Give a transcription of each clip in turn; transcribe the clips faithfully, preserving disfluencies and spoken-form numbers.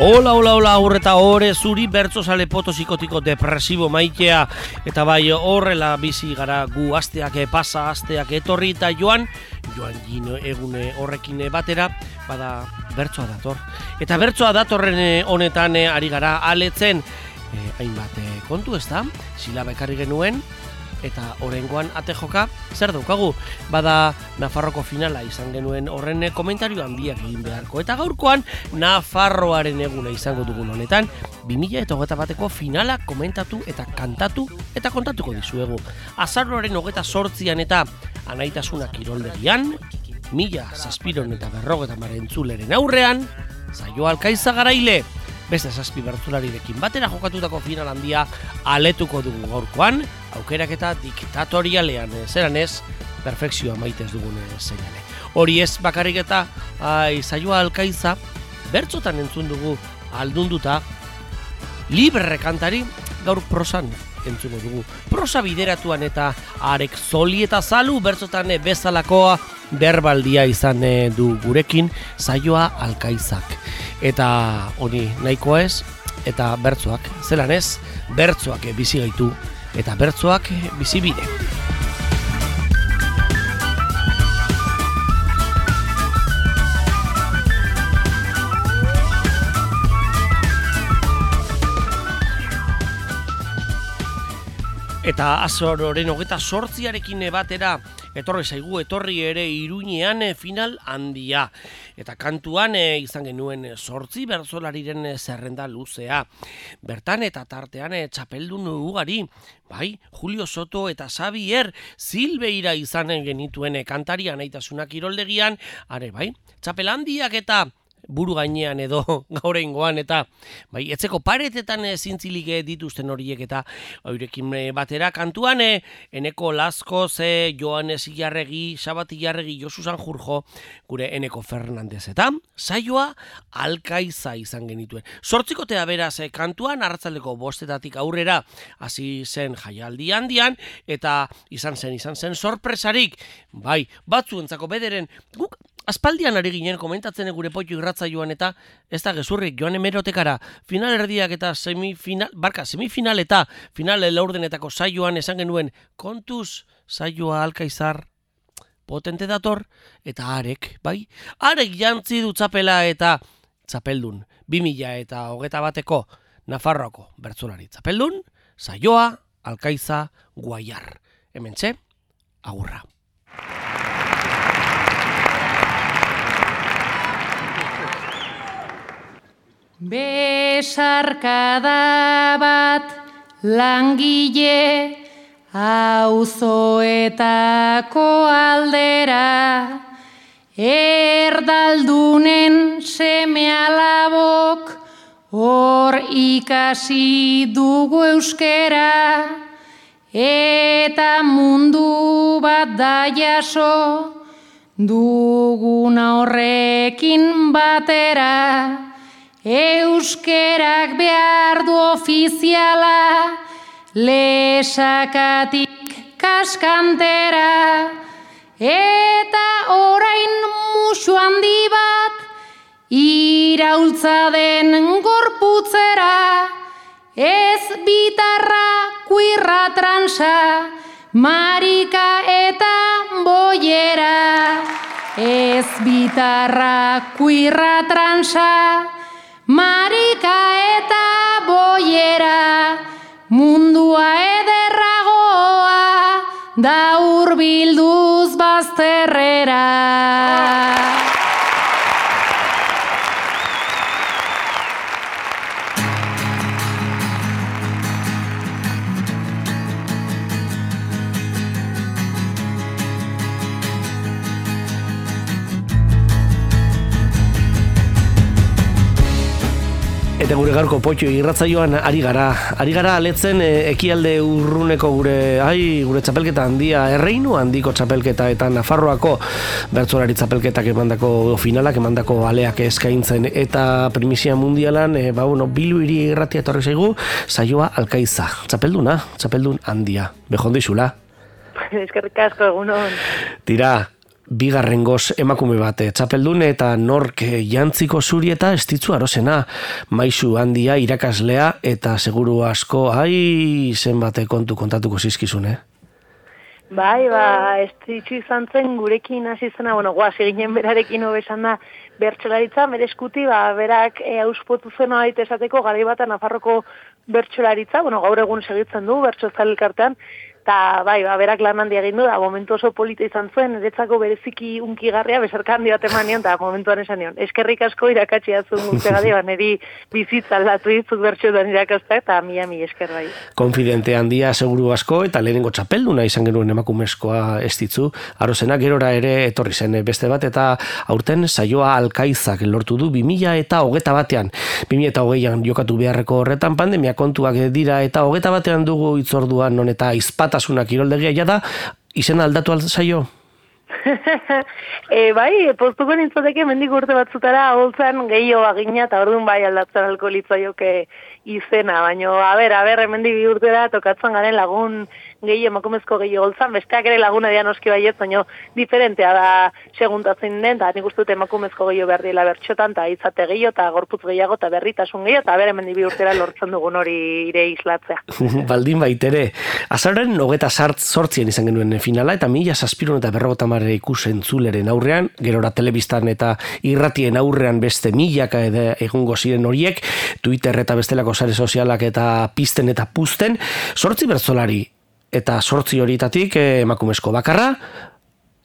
Hola, hola, hola, aurreta hore zuri bertzozale potosikotiko depresibo maitea. Eta bai horrela bizi gara gu asteak pasa, asteak etorri eta joan, joan gino egune horrekin batera, bada bertsoa dator. Eta bertsoa datorren honetan ari gara aletzen, eh, hainbat eh, kontu ez da, silaba ekarri genuen, eta orengoan ate joka, zer daukagu? Bada Nafarroko finala izan genuen horren komentario handiak egin beharko. Eta gaurkoan Nafarroaren eguna izango dugun honetan, bi mila hogeita bateko finala komentatu eta kantatu eta kontatuko dizuegu. Azaroaren hogeita zortzian eta anaitasuna kiroldegian, mila zazpiron eta berrogeta marentzuleren aurrean, Saioa Alkaiza garaile. Beste zazpi bertzularirekin batera jokatutako final handia aletuko dugu gaurkoan, aukerak eta diktatorialean, zeran ez, perfekzioa maitez dugun seinale. Hori ez bakarrik eta ai, Saioa Alkaiza bertzotan entzun dugu aldunduta, libre kantari gaur prosan entzuko dugu. Prosa bideratuan eta arek zoli eta zalu bertzotan bezalakoa berbaldia izan du gurekin Saioa Alkaizak. Eta hori nahikoa ez, eta bertzoak, zelan ez, bertzoak bizi gaitu, eta bertzoak bizi bide. Eta azaroaren hogeita sortziarekin batera, etorri zaigu, etorri ere Iruñean final handia. Eta kantuan e, izan genuen sortzi bertzolariren zerrenda luzea. Bertan eta tartean e, txapeldun ugari, bai, Julio Soto eta Xavier Silveira izan genituen kantari anaitasuna kiroldegian, are bai, txapel handiak eta buru gainean edo gaurrengoan eta bai, etzeko paretetan e, zintzilik dituzten horiek eta eurekin batera kantuan e, Eneko Laskoz, e, Joanes Ilarregi, Xabat Ilarregi, Josu Sanjurjo, gure Eneko Fernandez eta Saioa Alkaiza izan genituen. Zortzikotea beraz e, kantuan arratsaldeko bostetatik aurrera hasi zen jaialdi handian eta izan zen, izan zen sorpresarik, bai, batzuentzako bederen guk aspaldian ari ginen komentatzen gure Poitu irratsaioan eta ez da gezurrik joan hemerotekara final erdiak eta semifinal, barka, semifinal eta final laurdenetako saioan esan genuen kontuz Saioa Alkaizar potente dator eta arek, bai? Arek jantzi du txapela eta txapeldun, bi mila eta hogeita bateko Nafarroako bertzolari txapeldun, Saioa Alkaiza Guaiar. Hementxe, agurra. Besarkada bat langile auzoetako aldera, erdaldunen seme alabok hor ikasi dugu euskera, eta mundu bat da jaso duguna horrekin batera. Euskerak behar du ofiziala, lesakatik kaskantera, eta orain musu handi bat, iraultza den gorputzera, ez bitarra, kuirra, transa, marika eta boiera, ez bitarra, kuirra, transa, marika eta boiera, mundua ederragoa, da hurbilduz bazterrera. Eta gure gaurko Poitu irratsaioan ari gara. Ari gara aletzen e, ekialde urruneko gure ai gure txapelketa handia, erreinu handiko txapelketa eta Nafarroako bertsolari txapelketak emandako finalak, emandako aleak eskaintzen eta primizia mundialan, e, ba bueno, Bilu hiri irratia etorri zaigu, Saioa Alkaiza. Txapelduna, txapeldun handia. Bejon dizula. Eskerrik asko egunon. Tira, bigarrengoz emakume bat txapeldun eta nork jantziko zuri eta estitzu arozena, maisu handia irakaslea eta seguru asko, ai, zenbate kontu kontatuko zizkizune. Bai, ba, estitzu izan zen gurekin hasi zena, bueno, guaz, eginen berarekin hobesan da bertsolaritza, bere eskuti, ba, berak e, auspotu zena baita esateko, garai batan Nafarroko bertsolaritza, bueno, gaur egun segitzen du, bertsozale elkartean, eta bai, ba, berak lan handia egin du, da, momentu oso polita izan zuen, eretzako bereziki unkigarria, besarka handi bat eman nion, eta momentuan esan nion, eskerrik asko irakatsi atzun guztegade, ba, niri bizitza aldatu ditzuk bertxotan irakazta, eta mila mi esker bai. Konfidente handia seguru asko, eta lehenengo txapelduna izan genuen emakumezkoa estitzu, arozena gerora ere etorri zen beste bat, eta aurten saioa Alkaizak lortu du bi mila eta hogeta batean. bi mila eta hogeian jokatu beharreko horretan pandemia kontuak dira, eta hogeta batean dugu itzorduan non eta izpatasuna kiroldegia jada, izena aldatu alzaio? e, bai, postuko nintzateke mendik urte batzutara holtzan gehiago agina eta orduan bai aldatzen alko litzaioke izena, baina, a ber, a ber, hemendik bi urtera tokatzen garen lagun gehi emakumezko gehi holtzan, besteak ere laguna dian oski baiet, baina diferentea da seguntatzen den, eta nik uste dut emakumezko gehi behar dila bertxotan, eta izate gehi, eta gorputz gehiago, eta berritasun gehi, eta ber, hemendik bi urtera lortzen dugun hori ire islatzea. Baldin baitere, azarren hogeta sortzien izan genuen finala, eta mila zazpirun eta berrogota marre ikusentzuleren aurrean, gerora telebistan eta irratien aurrean beste milaka egungo ziren horiek, Twitter eta bestelako sare sozialak eta pizten eta puzten, sortzi bertzolari eta sortzi horietatik eh, emakumezko bakarra,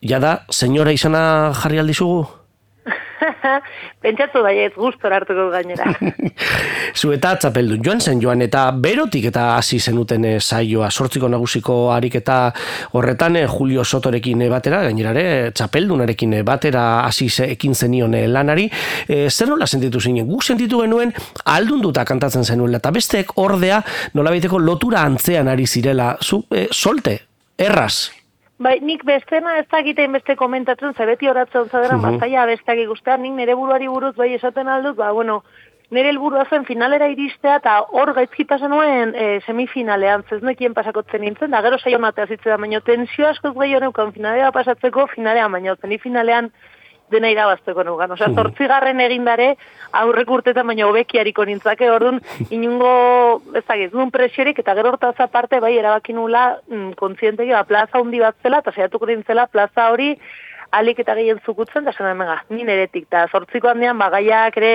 jada, senyora izana jarri aldizugu? Pentsatu baiet, gustora hartuko gainera. Zu eta txapeldun joan zen joan, eta berotik eta hasi zenuten eh, saioa, sortziko nagusiko ariketa horretan eh, Julio Sotorekin eh, batera, gainerare txapeldunarekin eh, batera hasi ekin zenion eh, lanari, eh, zer nola sentitu zinen? Guk sentitu genuen aldunduta kantatzen zenuela, eta besteek ordea nolabaiteko lotura antzean ari zirela, zu, eh, solte, erraz. Bai, nik bestena ez dakitein beste komentatzen, ze beti horatzen zadera, uh-huh. Bazaia besteak ikustea, nik nire buruari buruz bai esaten aldut, ba, bueno, nire helburua zen finalera iristea, eta hor gaizki pasan nuen e, semifinalean, ez nekien pasakotzen nintzen, da gero saio matea zitzen da, baino tensio askoz gehiago neukan finalea pasatzeko, finalean, baino semifinalean dena irabazteko nugan. Osea, zortzigarren egindare aurrek urtetan baina hobekiariko nintzake, orduan inungo, ez dakit, duen presiorik, eta gero hortaz aparte, bai, erabaki nula mm, kontzientegi, ba, plaza hundi bat zela, eta saiatuko nintzela plaza hori alik eta gehien zukutzen, eta zen emega, nien eretik, eta zortziko handian, ba, gaiak ere,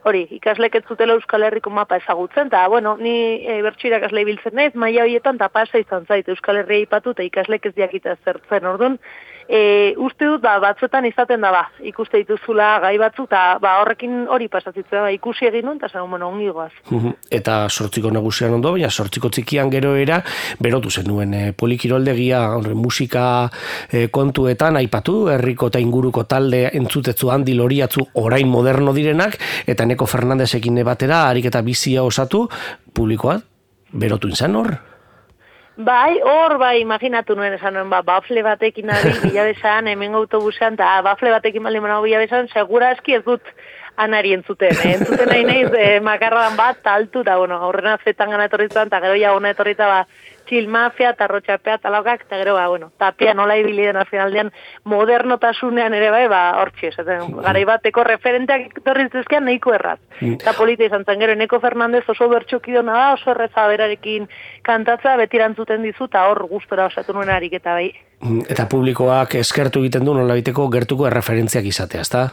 hori, ikaslek ez zutela Euskal Herriko mapa ezagutzen, eta, bueno, ni e, bertso irakasle ibiltzen naiz, maila horietan, eta pasa izan zait, Euskal Herria ipatu, eta ikaslek ez diakita zertzen, orduan, E, uste dut, ba, batzuetan izaten da, ba, ikuste dituzula gai batzu, eta ba, horrekin hori pasatzen, ba, ikusi egin nuen, eta zen, bueno, ongi goaz. Eta sortziko nagusian ondo, baina sortziko txikian gero era, berotu zenuen, e, polikiroldegia, musika e, kontuetan, aipatu, herriko eta inguruko talde entzutetzu handi loriatzu orain moderno direnak, eta Neko Fernandezekin batera, harik eta bizia osatu, publikoa, berotu inzan hor? Bai, hor, bai, imaginatu nuen esan nuen, ba, bafle batekin ari bilabesan, hemen autobusean, eta bafle batekin bali manago bilabesan, segura eski ez dut anari entzuten, eh? Entzuten nahi nahiz, eh, makarradan bat, taltu, eta, bueno, aurrena zetan gana etorritzen, eta gero ja gona etorrita, ba, txil mafia, eta rotxapea, talaukak, eta gero, ba, bueno, tapia nola ibili den finaldean, modernotasunean ere, bai, ba, hortxe, esaten, garai bateko referenteak etorritzezkean nahiko erraz. Eta polita izan zen, gero, Neko Fernandez oso bertxokidona da, oso erreza berarekin kantatza, betirantzuten dizu, eta hor gustora osatu nuen harik, eta bai. Eta publikoak eskertu egiten du nola biteko gertuko erreferentziak izatea, ezta?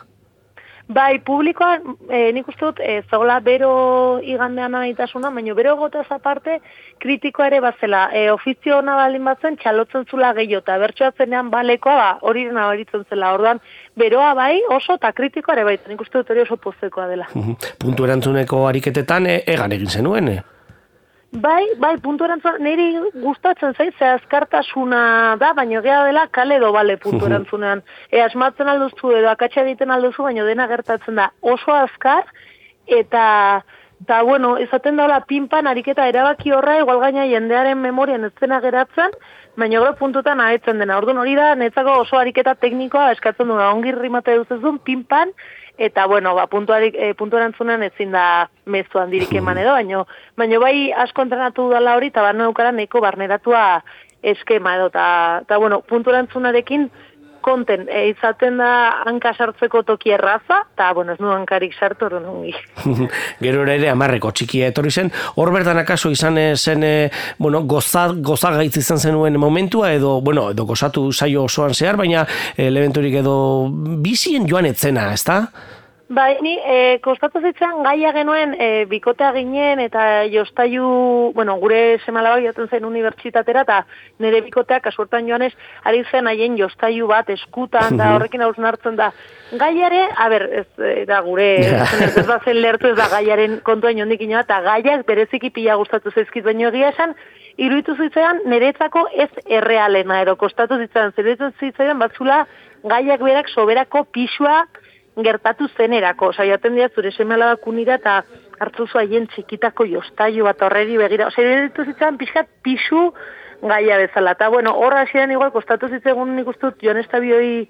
Bai, publikoan, e, nik uste dut, e, zagola bero igandean nahitasuna, baina bero egotez aparte, kritikoa ere bazela, e, ofizio hona baldin batzen, txalotzen zula gehiago, eta bertsoatzenean balekoa, ba, hori nabaritzen zela, orduan, beroa bai, oso, eta kritikoa ere bai, nik uste dut hori oso pozekoa dela. Puntu erantzuneko ariketetan, e, egan egin zenuen, eh? Bai, bai, puntu erantzuna, niri gustatzen zait, ze azkartasuna da, baina gea dela kale edo bale puntu erantzunean. E, asmatzen alduzu edo akatsa egiten alduzu, baina dena gertatzen da oso azkar, eta, eta bueno, izaten daula pinpan ariketa erabaki horra, igual gaina jendearen memorian ez dena geratzen, baina gero puntutan ahetzen dena. Orduan hori da, netzako oso ariketa teknikoa eskatzen duna, ongi rimate duzuzun, pinpan, eta, bueno, ba, puntuarik, e, puntu erantzunean ezin da mezu handirik eman edo, baino, baino bai asko entrenatu dala hori, eta barno eukara neko barneratua eskema edo, eta, eta bueno, puntu erantzunarekin konten, e, izaten da hanka sartzeko toki erraza, eta, bueno, ez nu hankarik sartu hori nongi. Gero ere amarreko txikia etorri zen, hor bertan akaso izan zen, e, bueno, goza, gozagaitz izan zenuen momentua, edo, bueno, edo gozatu saio osoan zehar, baina elementurik edo bizien joan etzena, ezta? Bai, ni e, kostatu zitzen gaia genuen e, bikotea ginen eta jostaiu, bueno, gure semalabak joaten zen unibertsitatera eta nire bikoteak kasuertan joanez ari zen haien jostaiu bat eskutan da horrekin hausnartzen da. Gaiare, a ber, ez da gure, ez da zen lertu ez da gaiaren kontuan jondik inoa, eta gaiak bereziki pila gustatu zaizkit, baino egia esan, iruditu zitzaidan niretzako ez errealena, ero kostatu zitzaidan, zeretu zitzaidan batzula gaiak berak soberako pisua gertatu zenerako, osea, jaten dira zure seme-alabak unira eta hartzuzu haien txikitako jostailu bat horreri begira, osea, iruditu zitzaidan pixkat pisu gaia bezala, eta bueno, horra hasieran igual kostatu zitzaigun nik uste dut Jon Estabioi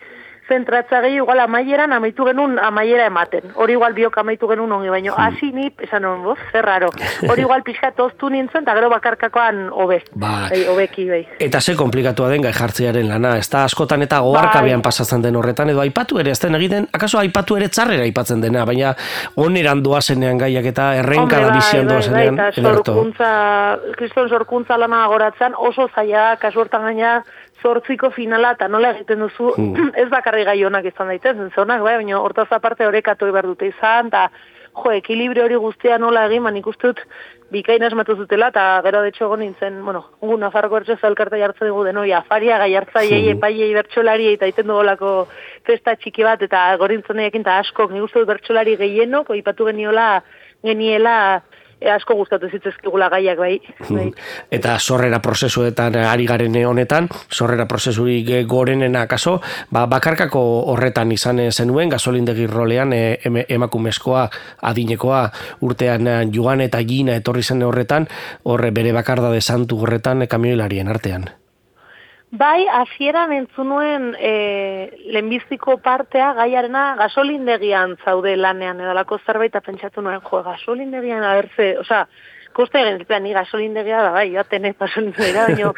zentratza gehi, igual amaieran amaitu genuen amaiera ematen. Hori igual biok amaitu genuen ongi, baino hasi ni, esan hon, boz, zerraro. Hori igual pixka toztu nintzen, eta gero bakarkakoan hobe. Ba, bai, hobeki, bai. Eta ze komplikatua den gai jartzearen lana, ez da askotan eta goharkabean pasatzen den horretan, edo aipatu ere, ez den egiten, akaso aipatu ere txarrera aipatzen dena, baina oneran doazenean gaiak eta errenka da bizian doazenean. Bai, bai, sorkuntza, kriston sorkuntza lana goratzen, oso zaila, kasu hortan gaina, zortziko finala eta nola egiten duzu, mm. ez bakarri gai honak izan daitezen, zonak, bai, baina hortaz aparte horekatu behar dute izan, eta jo, ekilibrio hori guztia nola egin, man ikuste dut bikain asmatu zutela, eta gero de hecho nintzen, bueno, gu Nafarroko Ertxe Zelkarta jartzen dugu denoi, afaria, gaiartzaiei, mm. epaiei, bertsolari, eta iten dugolako festa txiki bat, eta gorintzen egin, eta askok, nik uste dut bertsolari gehienok, oipatu geniola, geniela, E, asko gustatu zitzezkigula gaiak bai. bai. Eta sorrera prozesuetan ari garen honetan, sorrera prozesurik gorenena akaso, ba, bakarkako horretan izan zenuen, gasolindegi rolean e, emakumezkoa, adinekoa, urtean joan eta gina etorri zen horretan, horre bere bakarda de santu horretan kamioilarien artean. Bai, hasieran entzunuen e, lehenbiziko partea gaiarena gasolindegian zaude lanean edalako zerbait eta pentsatu nuen, jo, gasolindegian abertze, osea, koste egin zitzen, ni gasolindegia da, bai, joaten ez gasolindegira, baina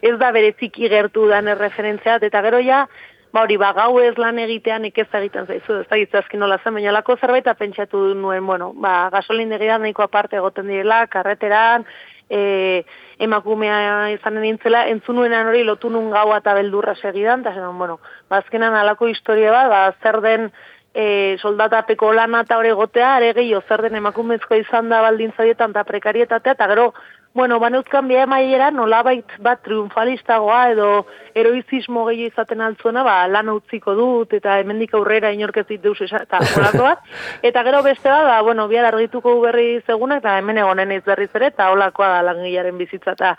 ez da bereziki gertu dan erreferentzia, eta gero ja, ba hori, ba, gau ez lan egitean ikez egiten zaizu, ez da gitzazkin nola zen, baina lako zerbait eta pentsatu nuen, bueno, ba, gasolindegia nahiko aparte egoten direla, karreteran, E, emakumea izanen nintzela, entzunuenan hori lotu nun gaua eta beldurra segidan, eta zen, bueno, bazkenan alako historia bat, ba, zer den e, soldatapeko lana eta hori gotea, are gehiago zer den emakumezko izan da baldintzadietan eta prekarietatea, eta gero, bueno, baneuzkan bia emaiera nolabait bat triunfalistagoa edo heroizismo gehiago izaten altzuena, ba, lan utziko dut, eta hemendik aurrera inorkezit deus eta holako bat. Eta gero beste bat, ba, bueno, bihar argituko berri zegunak, eta hemen egonen ez berriz ere, eta holakoa da langilaren bizitza. Eta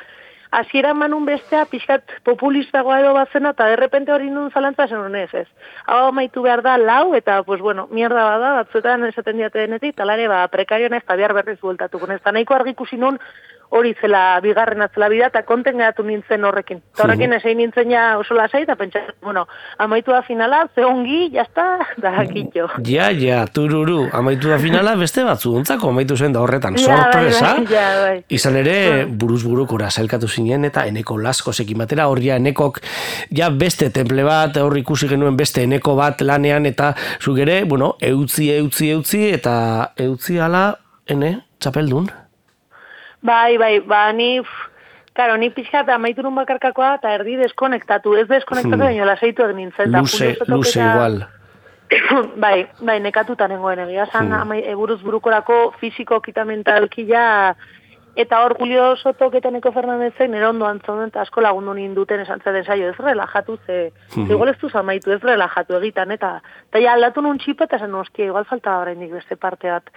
hasieran manun bestea, pixkat populistagoa edo bazena, eta derrepente hori nun zalantza zen honez ez. Hau amaitu behar da lau, eta, pues bueno, mierda bada, batzuetan esaten diate denetik, talare, ba, prekarioan ez, eta bihar berriz bueltatuko. Ez da nahiko argikusi nun, hori zela bigarren atzela bida, eta konten geratu nintzen horrekin. Eta horrekin esein nintzen ja oso lasai, eta pentsa, bueno, amaitu da finala, ze ongi, jazta, da kitxo. Ja, ja, tururu, amaitu da finala, beste batzu, ontzako amaitu zen da horretan, sorpresa. Ja, bai, ja, bai. Izan ere, buruz burukora zailkatu zinen, eta eneko laskosekin batera, hor ja enekok, ja beste temple bat, hor ikusi genuen beste eneko bat lanean, eta zuk ere, bueno, eutzi, eutzi, eutzi, eta eutzi ala, ene, txapeldun. Bai, bai, ba, ni, karo, ni pixkat amaitu nun bakarkakoa eta erdi deskonektatu, ez deskonektatu, hmm. baina lasaitu egin nintzen. Luze, luze igual. bai, bai, nekatuta nengoen egia, zan, hmm. buruz burukorako fiziko kitamentalki ja, eta hor Julio Sotok eta Neko Fernandezek nire ondo antzonen, eta asko lagundu ninduten esan zen saio, ez relajatu, ze, hmm. igual ez duz amaitu, ez relajatu egitan, eta, eta ja aldatu nun txipa, eta zen, hostia, igual falta horrendik beste parte bat.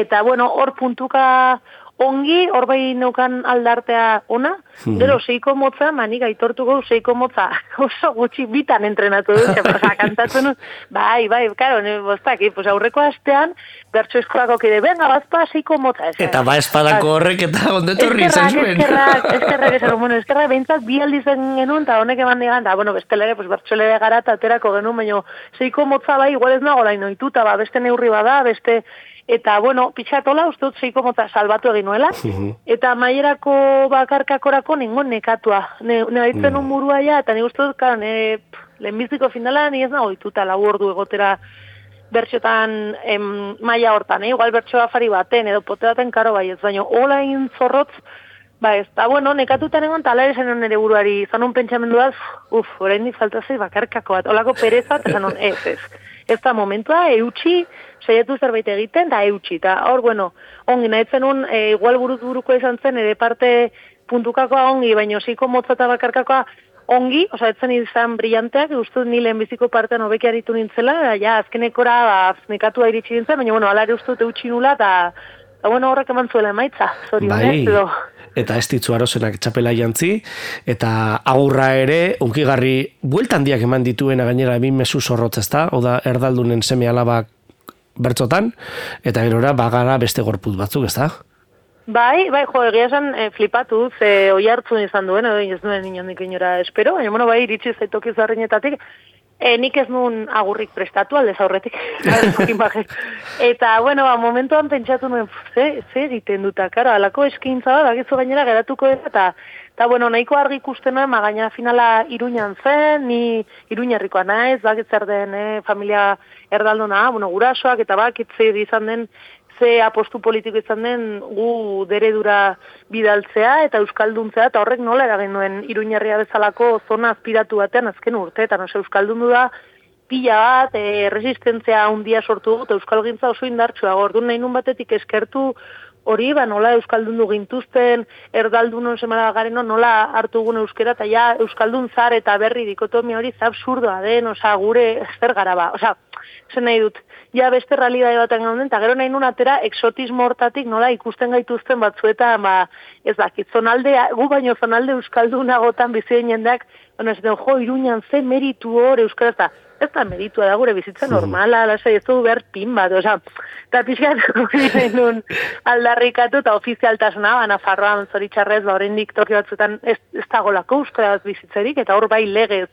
Eta, bueno, hor puntuka, ongi, hor bai neukan aldartea ona, hmm. gero seiko motza, manik aitortuko seiko motza, oso gutxi bitan entrenatu dut, oza, kantatzen, bai, bai, karo, ne, bostak, pues aurreko astean, bertso eskolako kide, venga, bazpa seiko motza. Ez, eta ba espadako horrek eta ondetorri izan zuen. Eskerrak, eskerrak, eskerrak, bueno, eskerrak, behintzat bi aldizen genuen, eta honek eman digan, eta, bueno, bestelere, pues bertso lere gara, eta aterako genuen, baina seiko motza bai, igual ez nago lain oituta, ba, beste neurri bada, beste eta, bueno, pixatola, uste dut zeiko mota salbatu egin nuela, eta maierako bakarkakorako ningon nekatua. Ne, ne baitzen un burua ja, eta ni uste dut, karo, ne, lehenbiziko finala, ni ez nago dituta lau ordu egotera bertxotan em, maila hortan, eh? Igual bertxo afari baten, edo pote baten karo bai ez, baina hola egin zorrotz, ba ez, eta bueno, nekatutan egon, tala ere zen nire buruari, izan un pentsamenduaz, uf, oraindik falta zei bakarkako bat, holako pereza, eta zan ez, ez. Ez da momentua, eutxi, saiatu zerbait egiten, da eutxi, eta hor, bueno, ongi, nahi zenun, e, igual buruz buruko izan zen, ere parte puntukakoa ongi, baina ziko motza eta bakarkakoa ongi, oza, etzen izan brillanteak, uste ni lehenbiziko partean hobeki aritu nintzela, da, ja, azkenekora, ba, nekatua iritsi nintzen, baina, bueno, alare uste dute utxi nula, eta, eta, bueno, horrek eman zuela emaitza, zorionez, edo. Eta ez ditzu arozenak txapela jantzi, eta agurra ere, unkigarri, bueltan diak eman dituena gainera bin mezu zorrotz ezta, oda erdaldunen seme alabak bertzotan, eta gerora bagara beste gorput batzuk, ezta? Bai, bai, jo, egia esan e, flipatu, ze oi hartzun izan duen, edo ez duen inondik inora espero, baina, bueno, bai, iritsi zaitoki zarrinetatik, e, nik ez nuen agurrik prestatu, aldez aurretik, eta, bueno, ba, momentuan pentsatu nuen, ze, ze egiten duta, karo, alako eskintza da, bakizu gainera geratuko dira, eta, eta, bueno, nahiko argi ikusten nuen, ma gaina finala Iruñan zen, ni Iruñerrikoa naiz, bakitzer den, eh, familia erdalduna, bueno, gurasoak, eta bakitze izan den, ze apostu politiko izan den gu deredura bidaltzea eta euskalduntzea, eta horrek nola eragin nuen Iruñerria bezalako zona azpiratu batean azken urteetan, oso euskaldundu da pila bat, e, resistentzia handia sortu dut, euskalgintza oso indartsua, orduan nahi nun batetik eskertu hori, ba, nola euskaldundu gintuzten, erdaldunon semana gareno, nola hartugun euskera, eta ja euskaldun zar eta berri dikotomia hori za absurdoa den, oza, gure zer gara ba, oza, zen nahi dut, ja beste realidade baten gauden, eta gero nahi nun atera exotismo hortatik nola ikusten gaituzten batzuetan, ba, ez dakit, zonalde, gu baino zonalde euskaldunagotan bizien jendeak, bueno, ez den, jo, Iruñan ze meritu hor euskara, eta ez da meritua da gure bizitza normala, lasai, ez du behar pin bat, oza, eta pixkat hori nahi nun aldarrikatu, eta ofizialtasuna, ba, Nafarroan zoritxarrez, ba, oraindik toki batzuetan ez, ez dagolako euskara bizitzerik, eta hor bai legez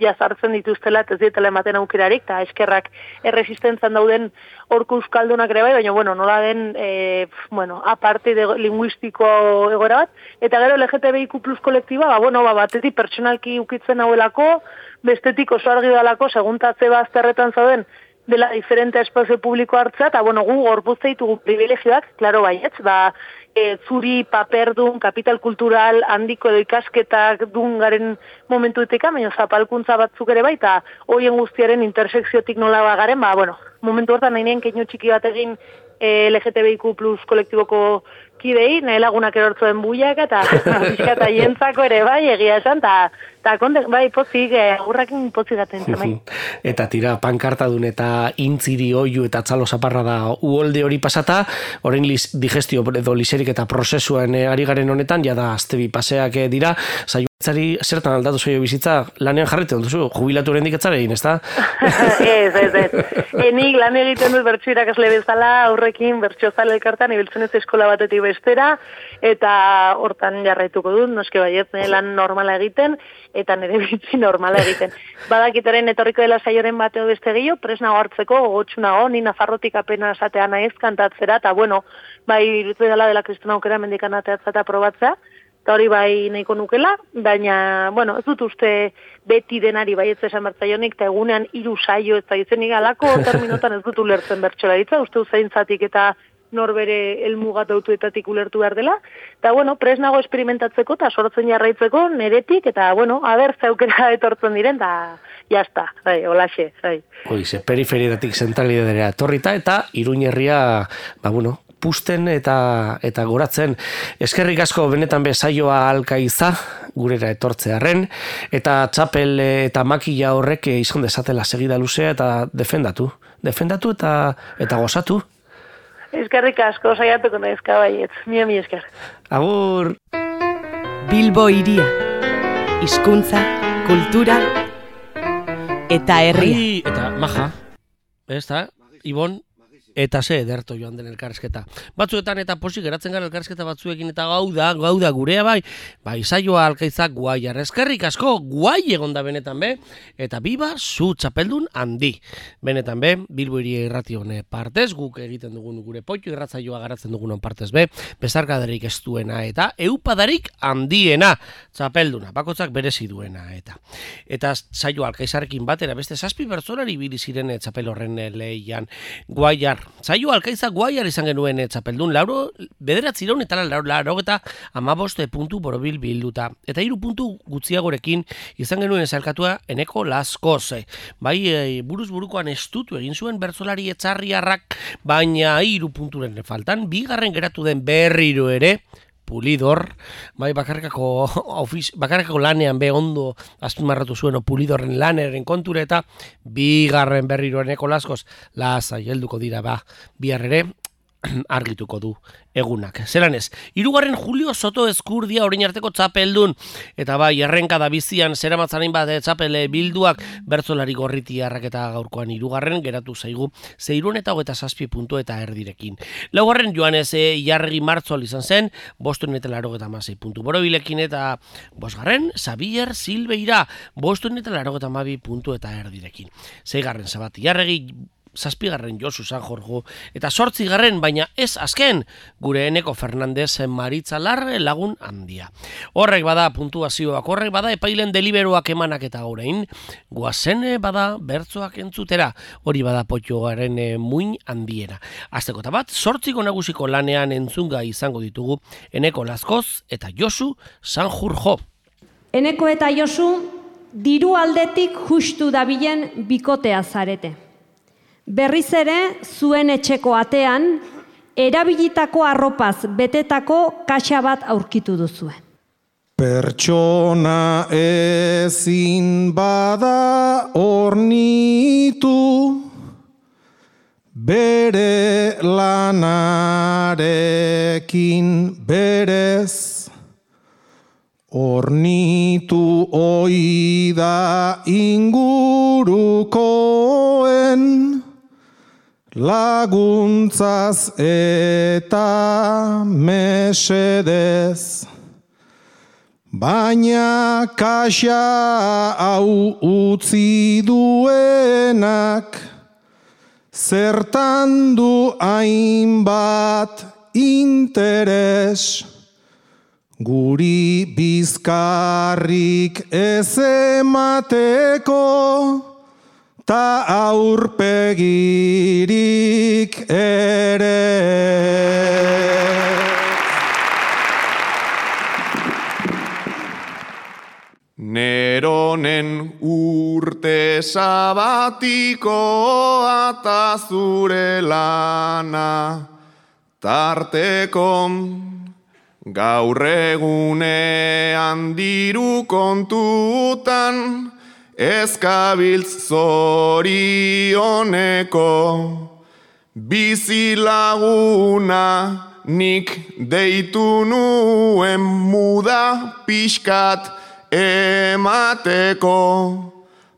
jazartzen dituztela, ez dietela ematen aukerarik, eta eskerrak erresistentzan dauden orko euskaldunak ere bai, baina, bueno, nola den, e, bueno, aparte de linguistiko egoera bat, eta gero L G T B I Q plus kolektiba, ba, bueno, ba, batetik pertsonalki ukitzen hauelako, bestetik oso argi dalako, seguntatze bazterretan zauden, dela diferente espazio publiko hartzea, eta, bueno, gu gorpuzte ditugu privilegioak, klaro baietz, ba, e, zuri paperdun, kapital kultural, handiko edo ikasketak dun garen momentuetika, baina zapalkuntza batzuk ere bai, eta hoien guztiaren intersekziotik nola bagaren, ba, bueno, momentu hortan nahi nien keinu txiki bat egin e, L G T B I Q plus kolektiboko kidei, nahi lagunak erortzuen buiak, eta pixkata jentzako ere bai, egia esan, eta bai, pozik, agurrakin pozik gaten zen, bai. Eta tira, pankartadun eta intziri oiu eta txalo zaparra da uholde hori pasata, orain digestio edo liserik eta prozesuan ari garen honetan, jada aztebi paseak dira, saioetzari zertan aldatu zaio bizitza, lanean jarriten duzu, jubilatu horrendik etzara egin, ez da? Ez, ez, ez. Enik lan egiten dut bertso irakasle bezala, aurrekin bertso zale elkartan, ibiltzen ez eskola batetik bestera, eta hortan jarraituko dut, noske baiet, lan normala egiten, eta nire bitzi normala egiten. Badakitaren etorriko dela saioren bateo beste gehiago, presnago hartzeko, gogotsunago, ni Nafarrotik apena esatea naiz kantatzera, eta bueno, bai, irutu dela dela kristona aukera mendikan ateatzea eta probatzea, eta hori bai nahiko nukela, baina, bueno, ez dut uste beti denari bai ez esan bertzaionik, eta egunean hiru saio ez da izenik alako terminotan ez dut ulertzen bertsola ditza, uste uzaintzatik eta norbere elmugat autuetatik ulertu behar dela, eta, bueno, presnago esperimentatzeko eta sortzen jarraitzeko neretik, eta, bueno, haber zaukera etortzen diren, eta jazta, bai, holaxe, bai. Hoize, periferietatik zentralidadera etorrita, eta Iruñerria, ba, bueno, pusten eta eta goratzen. Eskerrik asko benetan bezaioa alkaiza, gurera etortzearren, eta txapel eta makila horrek izan dezatela segida luzea eta defendatu. Defendatu eta eta gozatu. Eskerrik asko, saiatuko naizka baietz. Mila mi esker. Agur! Bilbo hiria. Hizkuntza, kultura eta herria. Eta maja. Ez da, Ibon? Eta ze ederto joan den elkarrizketa. Batzuetan eta posik geratzen gara elkarrizketa batzuekin eta gau da, gau da gurea bai, bai saioa alkaizak guaiar. Eskerrik asko guai egon da benetan be, eta biba zu txapeldun handi. Benetan be, Bilbo Hiria irrati hone partez, guk egiten dugun gure poitu irratzaioa garatzen dugun partez be, bezarkadarik ez duena eta eupadarik handiena txapelduna, bakotzak berezi duena eta. Eta saioa alkaizarekin batera beste zazpi bertzolari bili ziren txapel horren lehian guaiar. Zaio alkaiza guaiar izan genuen txapeldun, lauro, bederatzireun eta lauro, lauro eta amaboste puntu borobil bilduta. Eta hiru puntu gutxiagorekin izan genuen zailkatua Eneko Laskoz. Bai, e, buruz burukoan estutu egin zuen bertzolari etxarriarrak, baina hiru punturen faltan, bigarren geratu den berriro ere, Pulidor, bai bakarkako, ofiz, bakarkako lanean be ondo azpimarratu zuen Pulidorren laneren konture eta bigarren berriro Eneko Laskoz lasai helduko dira ba bihar ere argituko du egunak. Zelan ez, hirugarren Julio Soto Ezkurdia orain arteko txapeldun, eta bai, errenka da bizian zeramatzarein bat txapele bilduak bertzolari gorritiarrak eta gaurkoan hirugarren geratu zaigu zeirun eta hogeta zazpi puntu eta erdirekin. Laugarren Joanes e, Iarregi Martzol izan zen, bostun eta larogeta amasei puntu borobilekin eta bosgarren Xabier Silveira, bostun eta larogeta amabi puntu eta erdirekin. Zeigarren Sabat Iarregi, zazpigarren Josu San Jorgo, eta sortzigarren, baina ez azken, gure Eneko Fernandez Maritza Larre lagun handia. Horrek bada puntuazioak, horrek bada epailen deliberoak emanak eta orain, guazen bada bertzoak entzutera, hori bada potxoaren muin handiena. Azteko eta bat, sortziko nagusiko lanean entzunga izango ditugu Eneko Laskoz eta Josu San Jorgo. Eneko eta Josu, diru aldetik justu dabilen bikotea zarete. Berriz ere, zuen etxeko atean, erabilitako arropaz betetako kaxa bat aurkitu duzue. Pertsona ezin bada ornitu, bere lanarekin berez, ornitu oida ingurukoen, laguntzaz eta mesedez, baina kaxa hau utzi duenak, zertan du hainbat interes, guri bizkarrik ez emateko, ta aurpegirik ere. Neronen urte sabatikoa ta zure lana, tarteko gaur egunean diru kontutan, ezkabiltz zorioneko, bizilaguna nik deitu nuen muda pixkat emateko,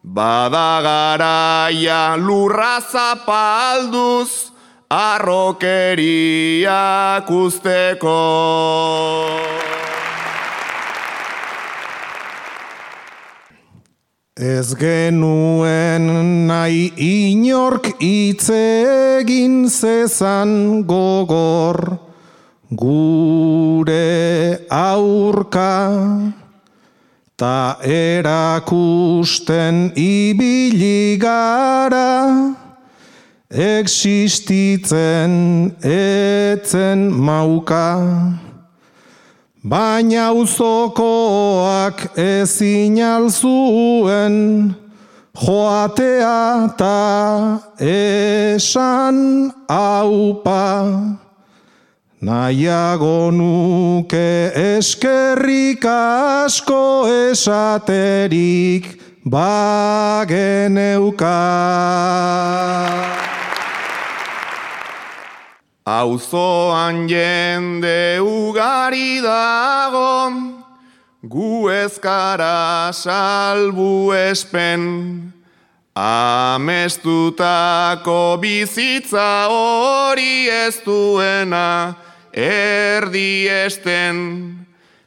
bada garaia lurra zapalduz arrokeriak usteko. Ez genuen nahi inork itzegin zezan gogor gure aurka, ta erakusten ibili gara, existitzen etzen mauka. Baina auzokoak ezin alzuen joatea ta esan aupa. Nahiago nuke eskerrik asko esaterik bageneuka. Auzoan jende ugari dago, gu ez gara salbu espen, Amestutako bizitza hori ez duena erdiesten.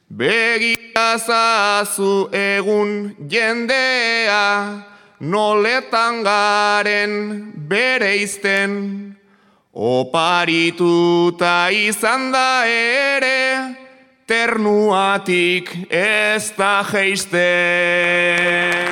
Begiazazu egun jendea, noletan garen bereizten. Oparituta izan da ere, ternuatik ez da jeisten.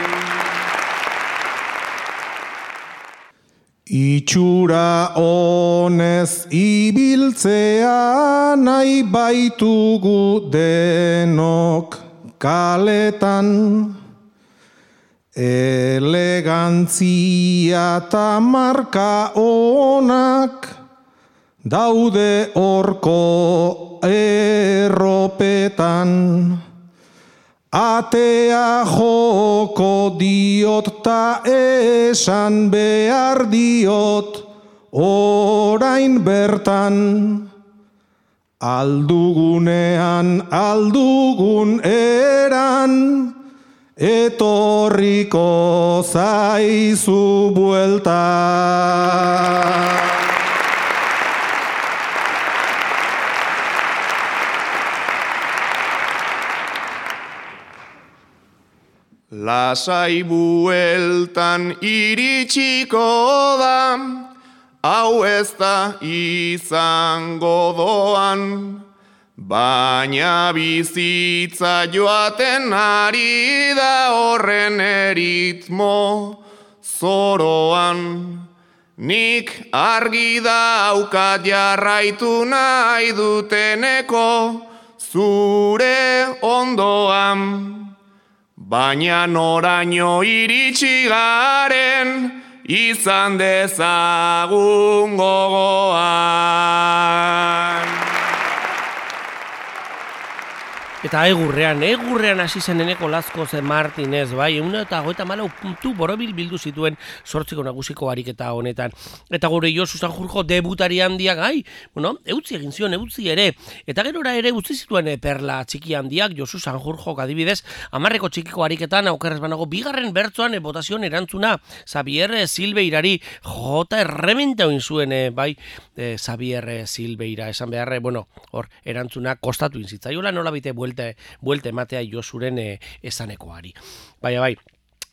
Itxura honez ibiltzea nahi baitugu denok kaletan. Elegantzia eta marka onak daude horko erropetan. Atea joko diot ta esan behar diot orain bertan. Aldugunean aldugun eran, etorriko zaizu buelta. Lasai bueltan iritsiko da, hau ez da izango doan. Baina bizitza joaten ari da horren eritmo zoroan. Nik argi daukat jarraitu nahi duteneko zure ondoan. Baina noraino iritsi garen izan dezagun gogoan. Eta egurrean, egurrean hasi zen Eneko Lazkoz Martinez, bai, egun eta goita malau puntu borobil bildu zituen sortziko nagusiko ariketa honetan. Eta gure Josu Sanjurjo debutari handiak, ai, bueno, eutzi egin zion, eutzi ere. Eta gerora ere utzi zituen perla txiki handiak, Josu Sanjurjo adibidez, hamarreko txikiko ariketan, aukerrez banago, bigarren bertzoan botazion erantzuna, Xabier Silbeirari, jota errementa oin zuen, bai, eh, Xabier Silbeira, esan beharre, bueno, hor, erantzuna kostatu inzitzaiola, nola bite buelte, buelte ematea Josuren e, esanekoari. Baina bai,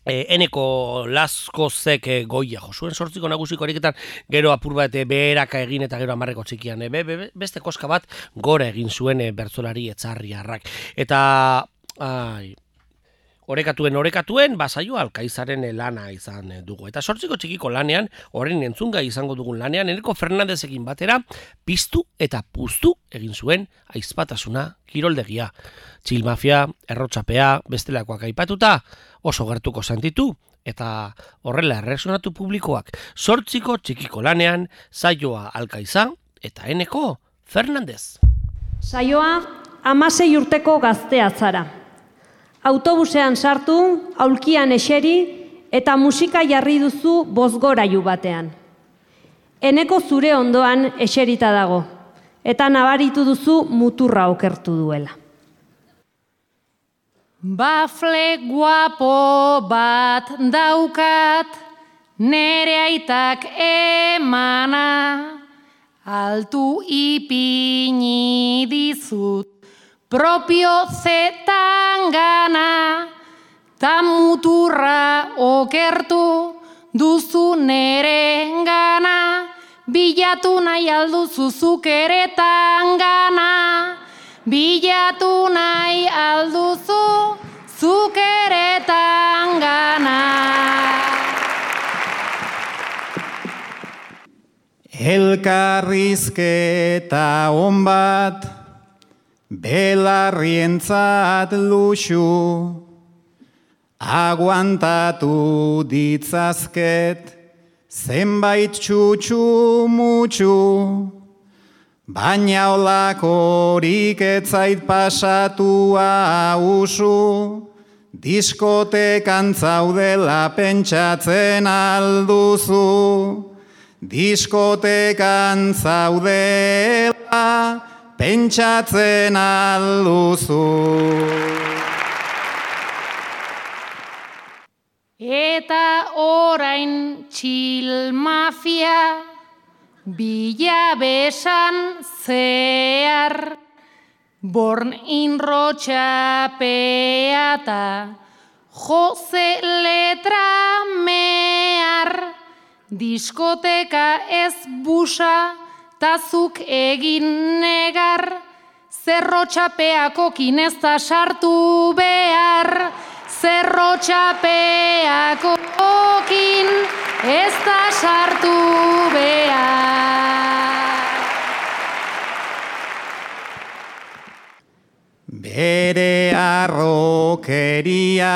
e, Eneko Lazkozek e, goia josuen sortziko nagusiko ariketan, gero apur bat e, beheraka egin eta gero amarreko txikian, e, be, be, beste koska bat gora egin zuen e, bertzolari etzarriarrak. Eta, ai, Orekatuen, orekatuen, basaio Alkaizaren lana izan dugu. Eta sortziko txikiko lanean, horren entzunga izango dugun lanean, Eneko Fernandezekin batera, piztu eta puztu egin zuen aizpatasuna kiroldegia. Txilmafia, errotxapea, bestelakoak aipatuta, oso gertuko sentitu, eta horrela erresonatu publikoak. Sortziko txikiko lanean, saioa Alkaiza eta Eneko Fernandez. Saioa, hamasei urteko gaztea zara. Autobusean sartu, aulkian eseri eta musika jarri duzu bozgorailu batean. Eneko zure ondoan eserita dago, eta nabaritu duzu muturra okertu duela. Bafle guapo bat daukat, nere aitak emana, altu ipini dizut. Propio zetan gana, ta muturra okertu duzu nere gana, bilatu nahi alduzu zuk ere tangana, bilatu nahi alduzu zuk ere tangana. Elkarrizketa on bat, belarrientzat luxu, aguantatu ditzazket, zenbait txutxu mutxu, baina olakorik etzait pasatua usu, diskotekan zaudela pentsatzen alduzu, diskotekan zaudela pentsatzen alduzu. Eta orain txil mafia, bila besan zehar, born inrotxapeata, Jose letra mehar, diskoteka ez busa, tazuk egin negar, zerrotxapeako kinezta sartu behar, zerrotxapeako okin ez da sartu behar. Bere arrokeria,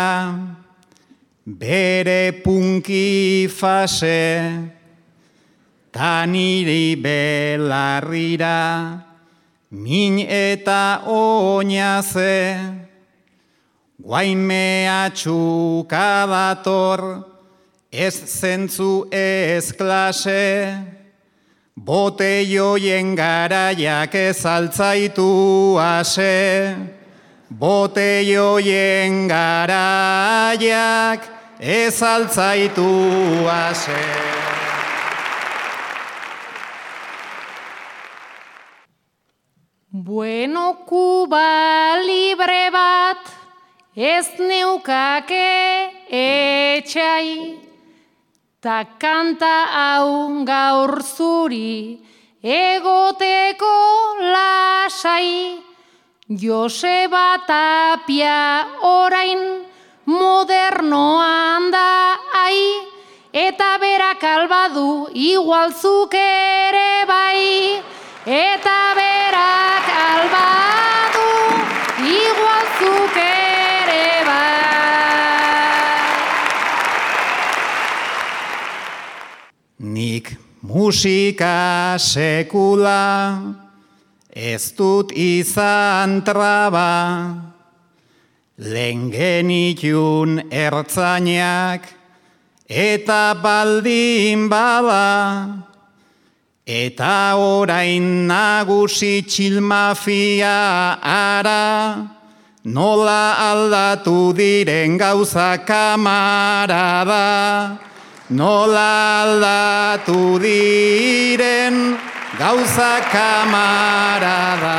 bere punki fase, taniri belarrira, min eta oinaze, guain mehatxuka dator, ez zentzu ez klase, boteioien garaiak ez altzaitu ase, boteioien garaiak ez altzaitu ase. Bueno, Kuba libre bat, ez neukake etxai, ta kanta hau gaur zuri egoteko lasai. Joseba Tapia orain modernoan da ai, eta berak albadu igualzuk ere bai, eta berak albadu igualzuk ere bai. Nik musika sekula ez dut izan traba, lehen genitun ertzainak eta baldin bada, eta orain nagusi txilmafia ara, nola aldatu diren gauza kamarada, nola aldatu diren gauza kamarada.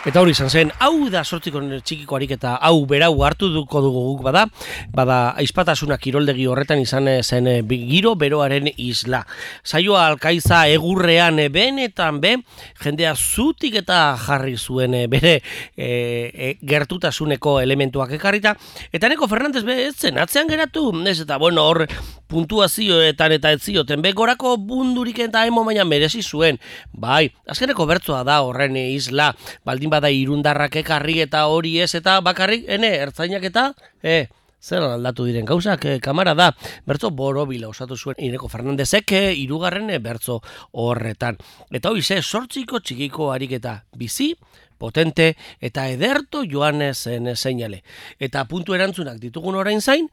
Eta hori izan zen, hau da sortziko txikiko ariketa, hau berau hartu duko dugu guk bada, bada aizpatasuna kiroldegi horretan izan zen giro beroaren isla. Saioa Alkaiza egurrean benetan be, jendea zutik eta jarri zuen bere e, e, gertutasuneko elementuak ekarrita, eta Eneko Fernandez be ez zen, atzean geratu, ez eta bueno hor puntuazioetan eta ez zioten, be gorako bundurik eta emo baina merezi zuen, bai, azkeneko bertsoa da horren isla, baldin bada irundarrak ekarri eta hori ez eta bakarrik, ene, ertzainak eta, e, zer aldatu diren gauzak, e, kamara da, bertso borobila osatu zuen Eneko Fernandezek e, irugarren e, bertso horretan. Eta hori ze, sortziko txikiko ariketa bizi, potente eta ederto joan zen seinale. Eta puntu erantzunak ditugun orain zain,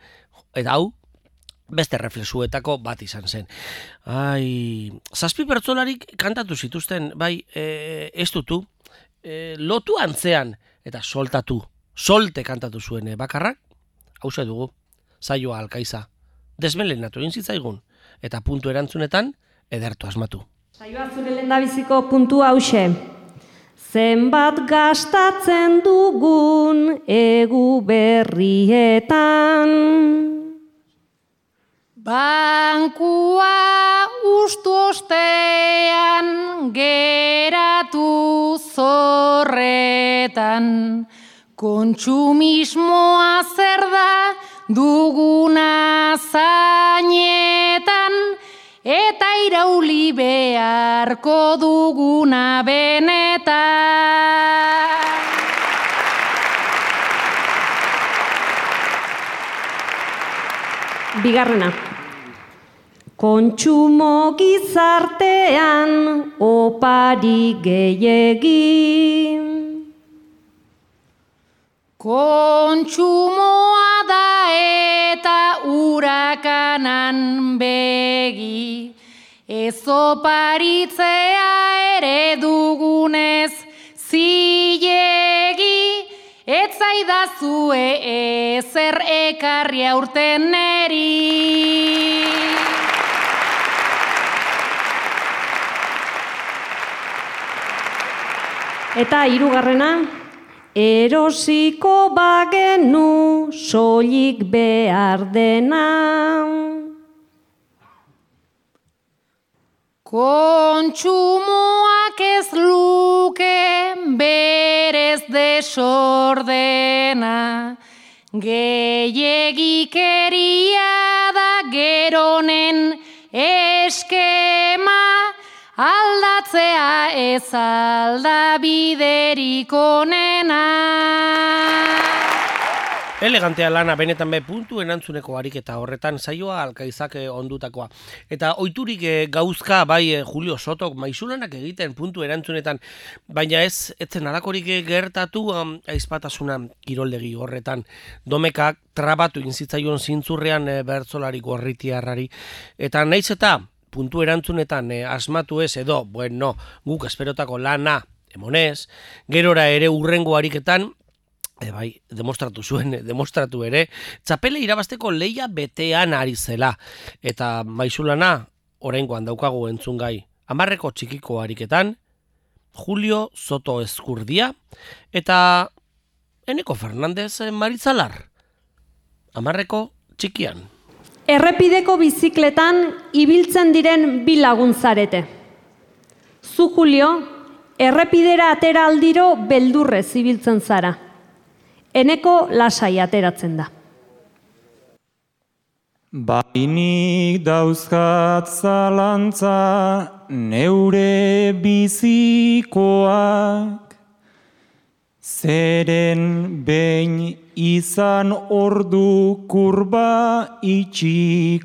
eta hau, beste reflexuetako bat izan zen. Ai, zazpi pertsolarik kantatu zituzten, bai, e, ez dutu, e, lotu antzean, eta soltatu, solte kantatu zuen e, bakarrak, hauze dugu, saioa Alkaiza, desmelenatu egin zitzaigun, eta puntu erantzunetan, edertu asmatu. Saioa zure lehendabiziko puntua hauxe. Zenbat gastatzen dugun egu berrietan. Bankua ustu ostean geratu zorretan, kontsumismoa zer da duguna zainetan, eta irauli beharko duguna benetan. Bigarrena. Kontsumo gizartean opari gehiegi. Kontsumoa da eta urakanan begi, ez oparitzea ere dugunez zilegi, ez zaigu eidazue ezer ekarri aurten neri. Eta hirugarrena, erosiko bagenu soilik behar dena. Kontsumoak ez luke berez desordena, gehiegikeria da geronen eskema, aldatzea ez alda biderik onena. Elegantea lana benetan be puntu erantzuneko ariketa horretan saioa alkaizak ondutakoa. Eta ohiturik gauzka bai Julio Sotok maisulanak egiten puntu erantzunetan, baina ez etzen halakorik gertatu um, aizpatasuna kiroldegi horretan. Domekak trabatu inzitzaion zintzurrean e, bertzolari gorritiarrari. Eta naiz eta puntu erantzunetan e, asmatu ez edo, bueno, guk esperotako lana emonez, gerora ere urrengo ariketan, E, bai, demostratu zuen, demostratu ere, txapele irabazteko leia betean ari zela. Eta maizulana, oraingoan daukagu entzungai, hamarreko txikiko ariketan, Julio Soto Ezkurdia, eta Eneko Fernandez Maritzalar, hamarreko txikian. Errepideko bizikletan ibiltzen diren bi lagun zarete. Zu, Julio, errepidera atera aldiro beldurrez ibiltzen zara. Eneko lasai ateratzen da. Bainik dauzkat zalantza neure bizikoak, zeren behin izan ordu kurba itxikoak.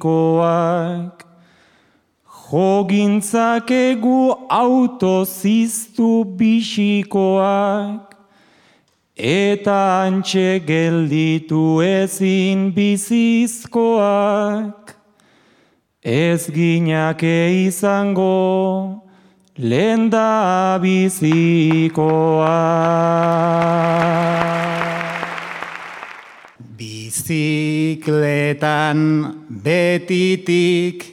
Jogintzakegu autoziztu bisikoak, eta antxe gelditu ezin bizizkoak, ez ginake izango lenda bizikoak. Bizikletan betitik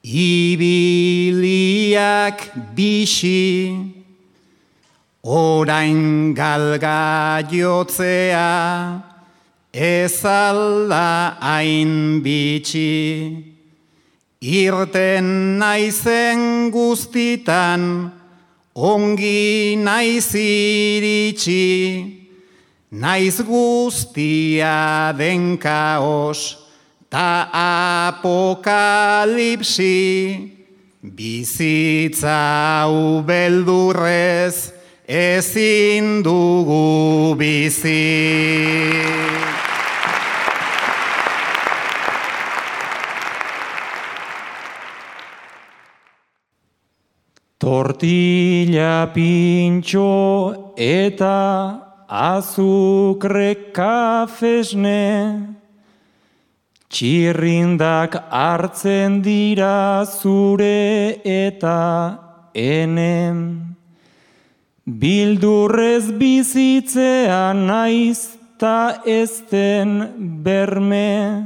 ibiliak bixi, orain galga jotzea ez alda hain bitxi. Irten naizen guztitan ongi naiz iritsi, naiz guztia den kaos ta apokalipsi. Bizitza hau beldurrez ezin dugu bizi. Tortilla pintxo eta azukre kafesne, txirrindak hartzen dira zure eta enen. Bildurrez bizitzea naiz ta ezten berme,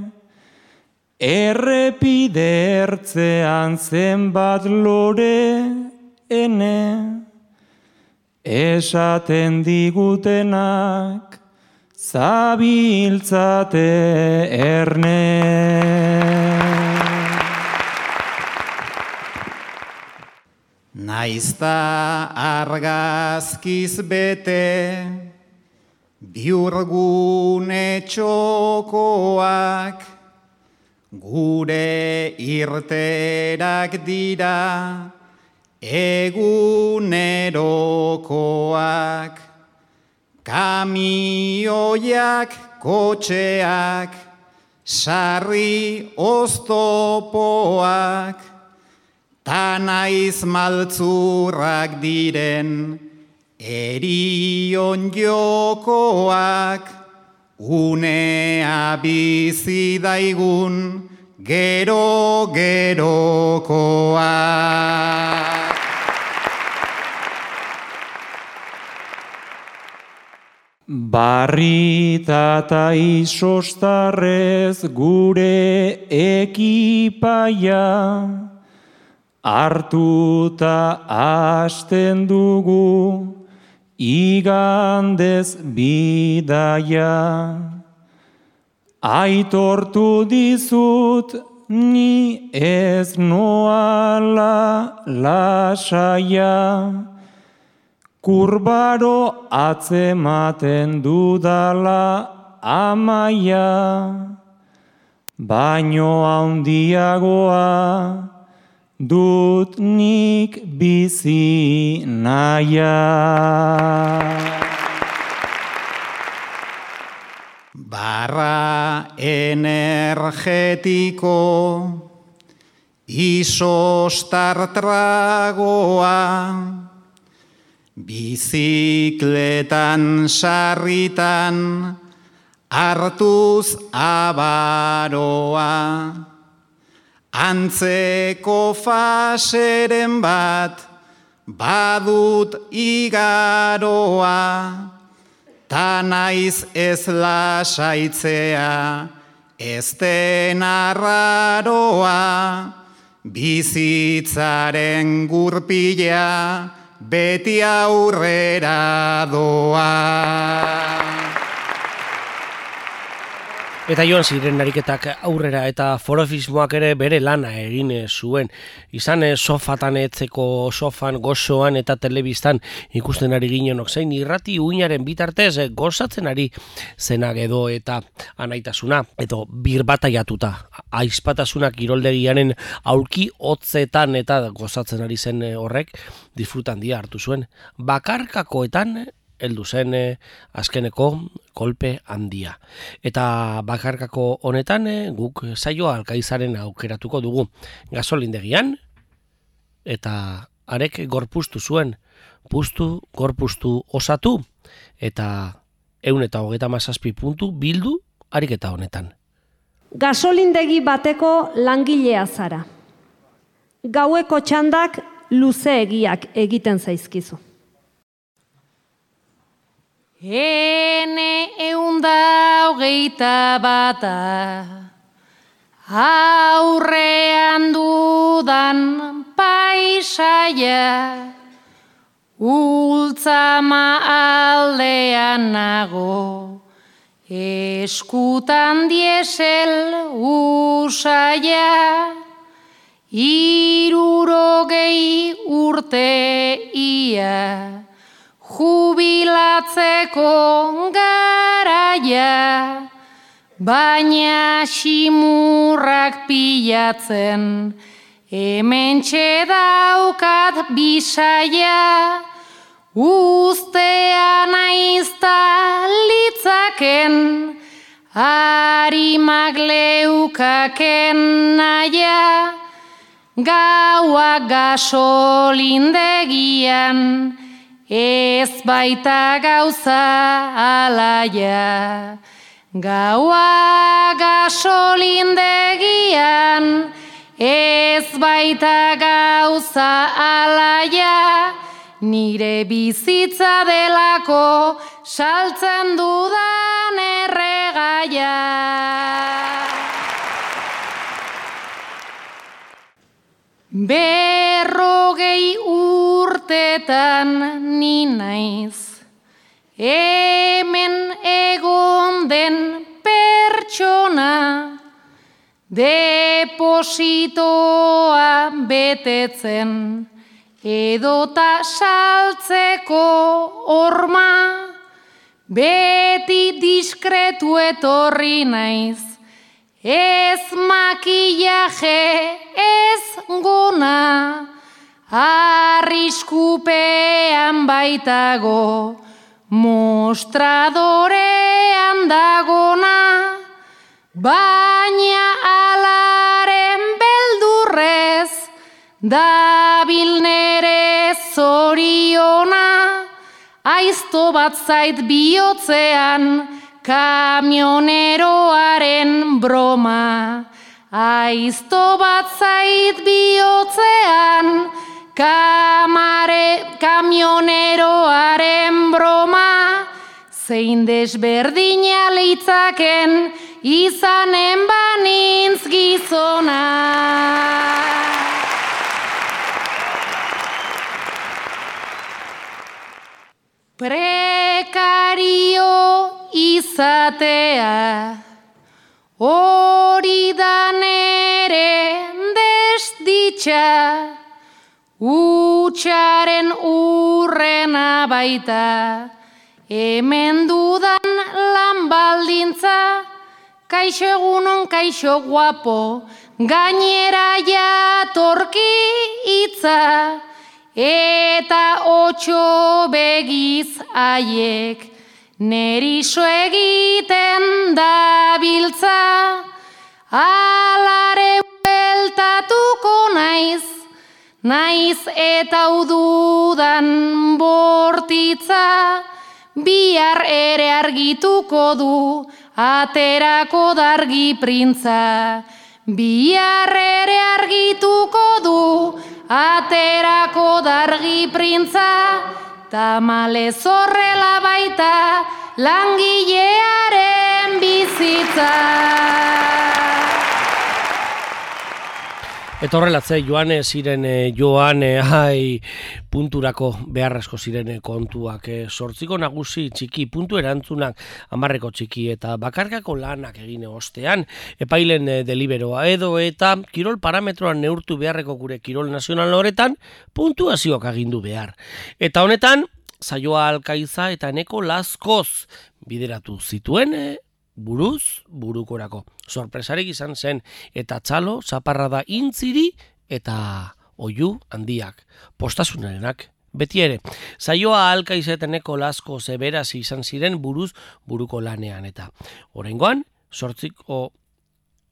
errepide ertzean zenbat lore ene, esaten digutenak zabiltzate erne. Naizta argazkiz bete, biurgune txokoak, gure irterak dira egunerokoak. Kamioiak, kotxeak, sarri oztopoak, ta naiz maltzurrak diren erion jokoak, unea bizi daigun gero gerokoak. Barrita ta isostarrez gure ekipaia, hartuta hasten dugu igandez bidaia. Aitortu dizut ni ez noala lasaia, kurbaro atzematen dudala amaia, baino handiagoa dut nik bizi naia. Barra energetiko isostar tragoa, bizikletan sarritan hartuz abaroa, antzeko faseren bat badut igaroa, ta naiz ez lasaitzea, ez den arraroa, bizitzaren gurpila beti aurrera doa. Eta joan ziren ariketak aurrera eta forofismoak ere bere lana egin zuen. Izan sofatan etzeko, sofan, gozoan eta telebistan ikusten ari ginenok zein irrati uinaren bitartez gozatzen ari zenak edo eta anaitasuna. Edo birbataiatuta, aizpatasuna kiroldegianen aulki hotzetan eta gozatzen ari zen horrek disfrutan dia hartu zuen. Bakarkakoetan heldu zen eh, azkeneko kolpe handia. Eta bakarkako honetan eh, guk saioa Alkaizaren aukeratuko dugu. Gasolindegian eta arek gorpuztu zuen, puztu, gorpuztu osatu eta ehun eta hogeita hamazazpi puntu bildu ariketa honetan. Gasolindegi bateko langilea zara. Gaueko txandak luzeegiak egiten zaizkizu. Ene eunda hogeita bata, aurrean dudan paisaia, ultzama aldean nago, eskutan diesel usaia, hirurogei urte ia, jubilatzeko garaia, baina ximurrak pilatzen, hementxe daukat bisaia, uztea naizta litzaken, harimak leukaken naia, gaua gasolindegian, ez baita gauza alaia. Gaua gasolindegian, ez baita gauza alaia, nire bizitza delako saltzen dudan erregaia. Berrogei urtetan ni naiz, hemen egon den pertsona, depositoa betetzen, edota saltzeko horma, beti diskretu etorri naiz, ez makillaje, ez gona, arriskupean baitago, mostradorean dagona, baina alaren beldurrez, dabil nere zoriona, aizto bat zait bihotzean, kamioneroaren broma. Aizto bat zait bihotzean, kamare, kamioneroaren broma, zein desberdina leitzaken izanen banintz gizona. Prekario izatea, hori da nere desditxa, utxaren urrena baita, hemen dudan lan baldintza, kaixo egunon, kaixo guapo, gainera jatorki hitza, eta otxo begiz haiek, neriso egiten dabiltza, alare bueltatuko naiz, naiz eta ududan bortitza, bihar ere argituko du, aterako dargi printza. Bihar ere argituko du, aterako dargi printza, tamalez horrela baita langilearen bizitza. Eta horrelatze, joan ziren, joan, hai, punturako beharrezko ziren kontuak, sortziko nagusi txiki, puntu erantzunak, hamarreko txiki eta bakarkako lanak egine ostean, epailen deliberoa edo eta kirol parametroan neurtu beharreko gure kirol nazional horretan, puntuazioak agindu behar. Eta honetan, Saioa Alkaiza eta Eneko Lazkoz bideratu zituen, buruz, burukorako. Sorpresarik izan zen, eta txalo, zaparrada intziri, eta oiu handiak, postasunarenak. Beti ere, saioa Alkaiza eta Eneko Lazkoz beraz izan ziren buruz, buruko lanean, eta oraingoan, sortziko,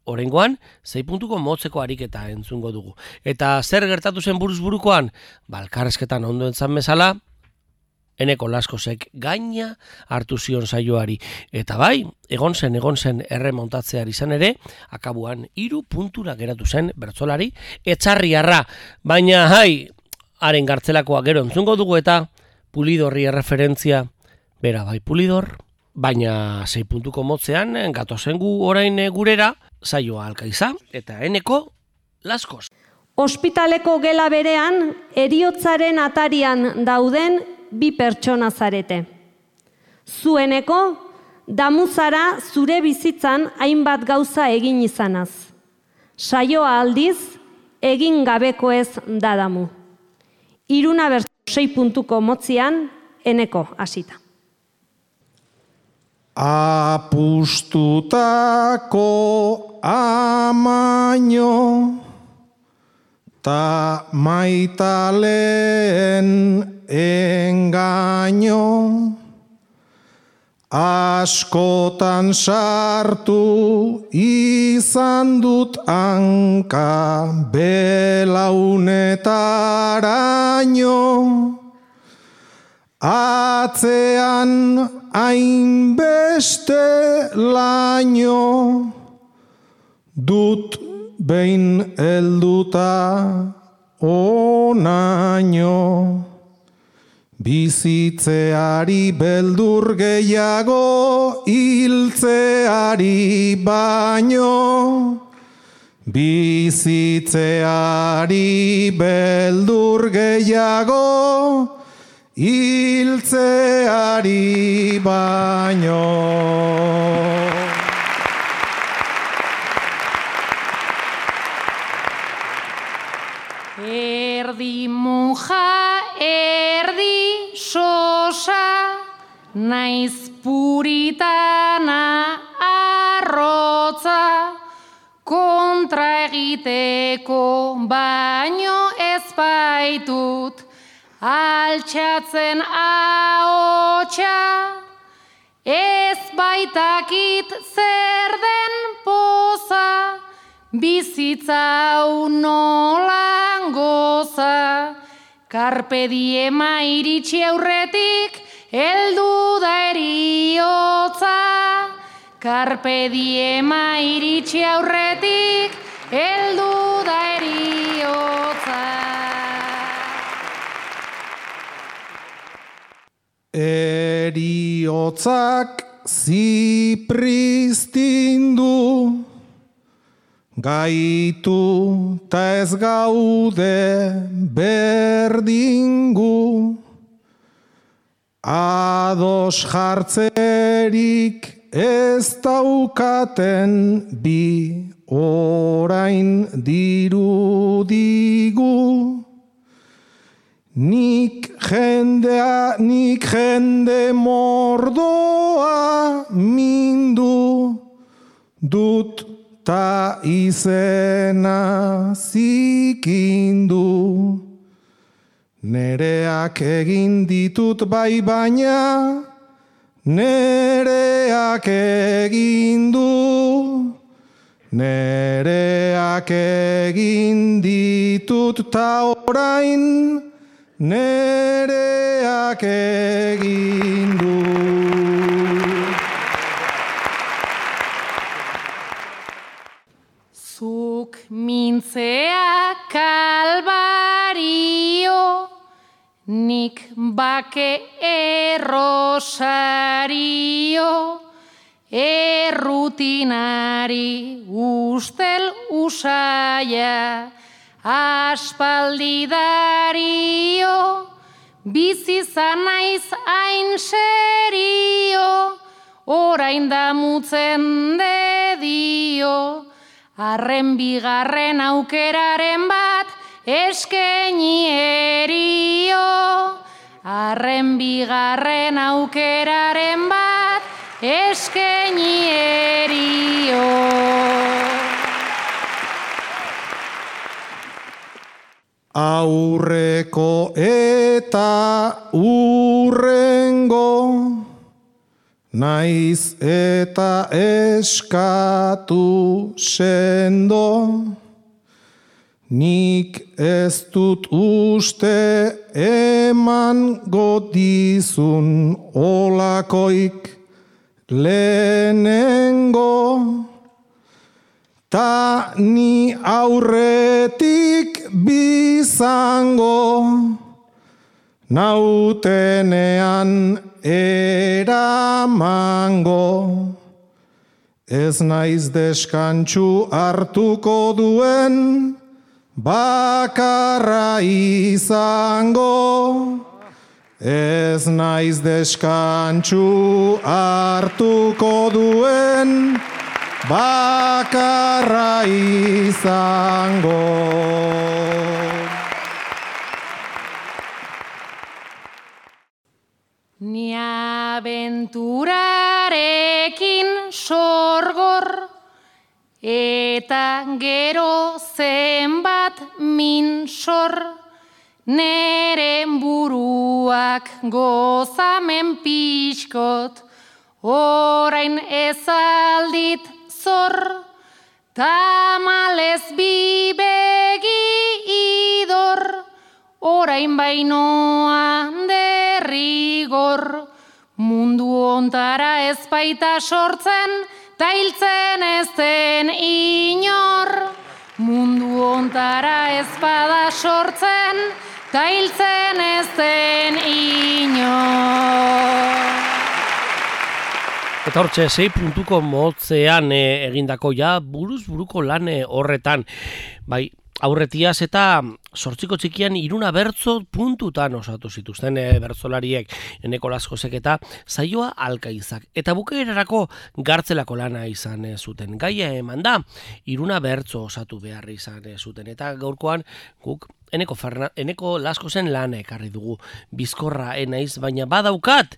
oraingoan, zei puntuko motzeko ariketa entzungo dugu. Eta zer gertatu zen buruz burukoan? Balkarrezketan ondo entzan bezala, Eneko Lazkozek gaina hartu zion saioari. Eta bai, egon zen, egon zen erremontatzear izan ere, akabuan hiru puntura geratu zen bertsolari etxarriarra. Baina, hai, haren gartzelakoa gero entzungo dugu eta Pulidorri erreferentzia, bera bai Pulidor, baina sei puntuko motzean, gatozen gu orain gurera, saioa Alkaiza eta Eneko Lazkoz. Ospitaleko gela berean, heriotzaren atarian dauden bi pertsona zarete. Zueneko, damuzara zure bizitzan hainbat gauza egin izanaz. Saioa aldiz, egin gabeko ez dadamu. Iruna bertso sei puntuko motzian, Eneko hasita. Apustutako amaino, ta maitaleen engaino, askotan sartu izan dut hanka belaunetaraino, atzean hainbeste laino, dut behin helduta onaino, bizitzeari beldur gehiago hiltzeari baino, bizitzeari beldur gehiago hiltzeari baino. Erdi monja, erdi sosa, naiz puritana arrotza, kontra egiteko baino ez baitut, altxatzen ahotsa, ez baitakit zer den poza, bizitza hau nolan goza, carpe diema iritsi aurretik, heldu da eriotza. Carpe diema iritsi aurretik, heldu da eriotza. Eriotzak zipristindu, gaitu ta ez gaude berdingu, ados jartzerik ez daukaten bi orain dirudigu. Nik jendea, nik jende mordoa mindu dut ta izena zikindu. Nereak egin ditut bai baina, nereak egin du. Nereak egin ditut ta orain, nereak egin du. Zuk mintzea kalbario, nik bake errosario, errutinari ustel usaia, aspaldi dario, bizi zanaiz hain serio, orain damutzen dedio, arren bigarren aukeraren bat eskeni erio, arren bigarren aukeraren bat eskeni erio. Aurreko eta urrengo, naiz eta eskatu sendo, nik ez dut uste eman godizun olakoik lehenengo. Ta ni aurretik bizango, nautenean eramango. Ez naiz deskantsu hartuko duen, bakarra izango. Ez naiz deskantsu hartuko duen, bakarra izango. Ni abenturarekin sorgor, eta gero zenbat min sor, neren buruak gozamen pixkot, orain ezaldit zor, tamalez bi begi idor, orain bainoan derrigor, mundu ontara ez baita sortzen, ta hiltzen ez den inor. Mundu ontara ez bada sortzen, ta hiltzen ez den inor. Eta hortxe, sei puntuko motzean e, egindako ja buruz buruko lan e, horretan. Bai, aurretiaz eta sortziko txikian iruna bertzo puntutan osatu zituzten e, bertzolariek Eneko Laskozek eta Saioa Alkaizak. Eta bukaerarako gartzelako lana izan e, zuten. Gaia eman da, iruna bertzo osatu behar izan e, zuten. Eta gaurkoan guk Eneko, Ferna, Eneko Laskozen lana ekarri dugu. Bizkorra enaiz, baina badaukat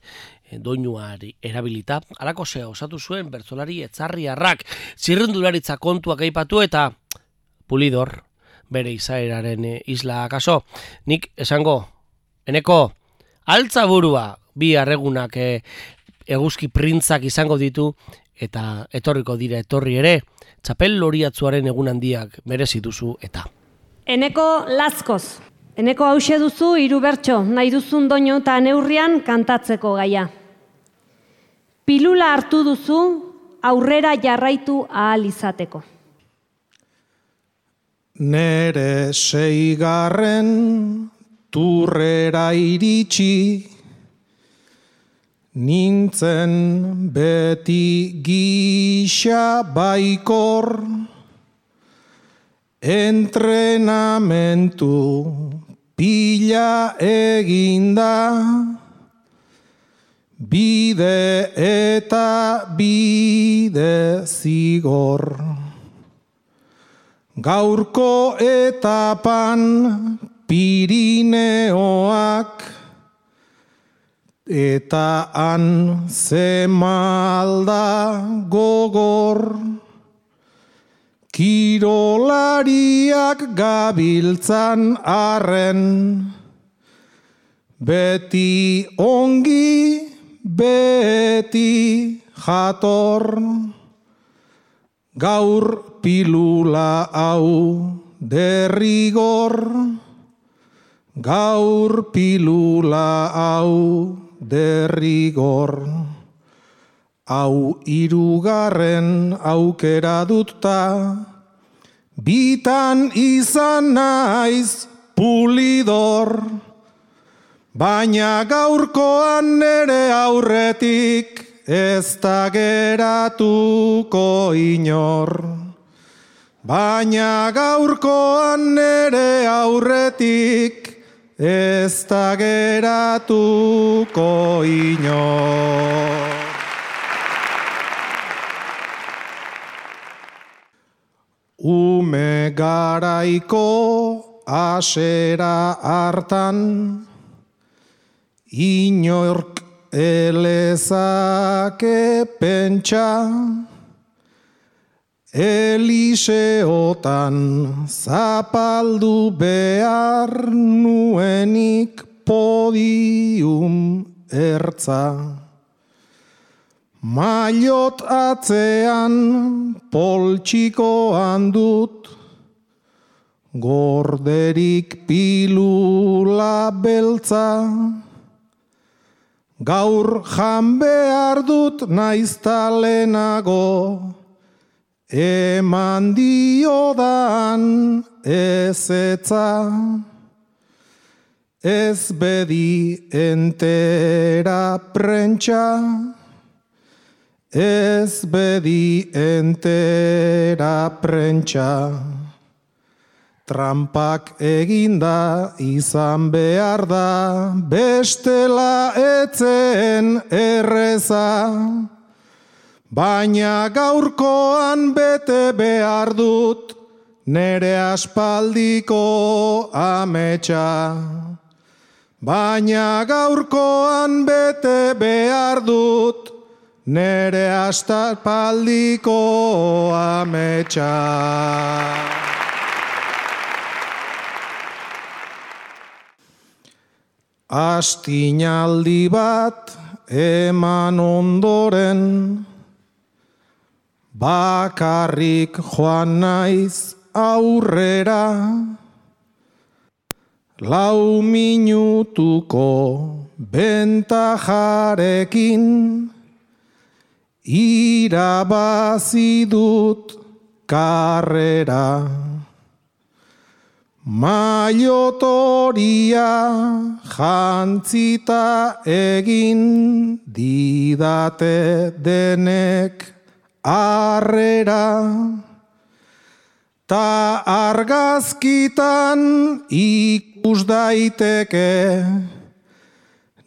doinuari erabilita, alako zea osatu zuen bertzolari etzarriarrak, zirrendularitza kontuak aipatu eta Pulidor, bere izaeraren isla akaso. Nik esango, Eneko, altza burua, bi arregunak e, eguzki printzak izango ditu, eta etorriko dira etorri ere, txapel loriatzuaren egun handiak merezi duzu eta. Eneko Laskoz, Eneko hause duzu hiru bertso, nahi duzun doinu eta neurrian kantatzeko gaia. Pilula hartu duzu aurrera jarraitu ahal izateko. Nere seigarren turrera iritsi, nintzen beti gisa baikor, entrenamentu pila eginda, bide eta bide zigor. Gaurko etapan Pirineoak, eta han zemalda gogor. Kirolariak gabiltzan arren, beti ongi, beti jator. Gaur pilula hau derrigor, gaur pilula hau derrigor. Hau hirugarren aukera dutta, bitan izan naiz pulidor, baina gaurkoan nere aurretik ez da geratuko inor. Baina gaurkoan nere aurretik ez da geratuko inor. Ume garaiko asera hartan, inork elezake pentsa, Eliseotan zapaldu behar nuenik podium ertza. Mailot atzean poltsikoan dut, gorderik pilula beltza. Gaur jan behar dut naizta lehenago, eman diodan ezetza. Ez bedi entera prentsa, ez bedi entera prentsa. Trampak eginda izan behar da, bestela etzen erreza. Baina gaurkoan bete behar dut, nere aspaldiko ametsa. Baina gaurkoan bete behar dut, nere aspaldiko ametsa. Astinaldi bat eman ondoren, bakarrik joan naiz aurrera. Lau minutuko bentajarekin, irabazi dut karrera. Mailotoria jantzita egin didate denek arrera. Ta argazkitan ikus daiteke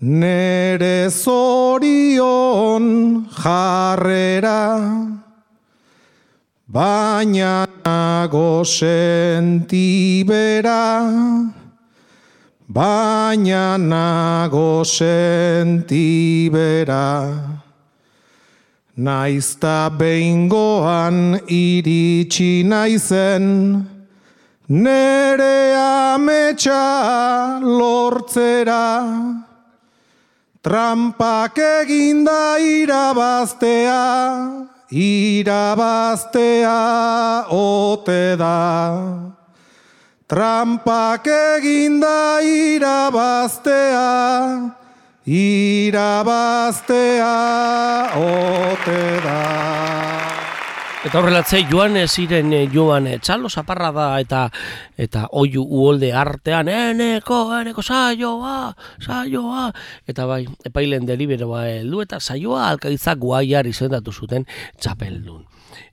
nere zorion jarrera. Baina nago sentibera, baina nago sentibera. Naizta behingoan iritsi naizen, nere ametsa lortzera. Trampak eginda irabaztea, irabaztea ote da. Trampak eginda irabaztea, irabaztea ote da. Eta horrelatze joan ziren joan txalo zaparra da eta eta oiu uholde artean eneko, eneko saioa, saioa eta bai, epailen deliberoa heldu eta saioa Alkaitzak Guaiar izendatu zuten txapeldun.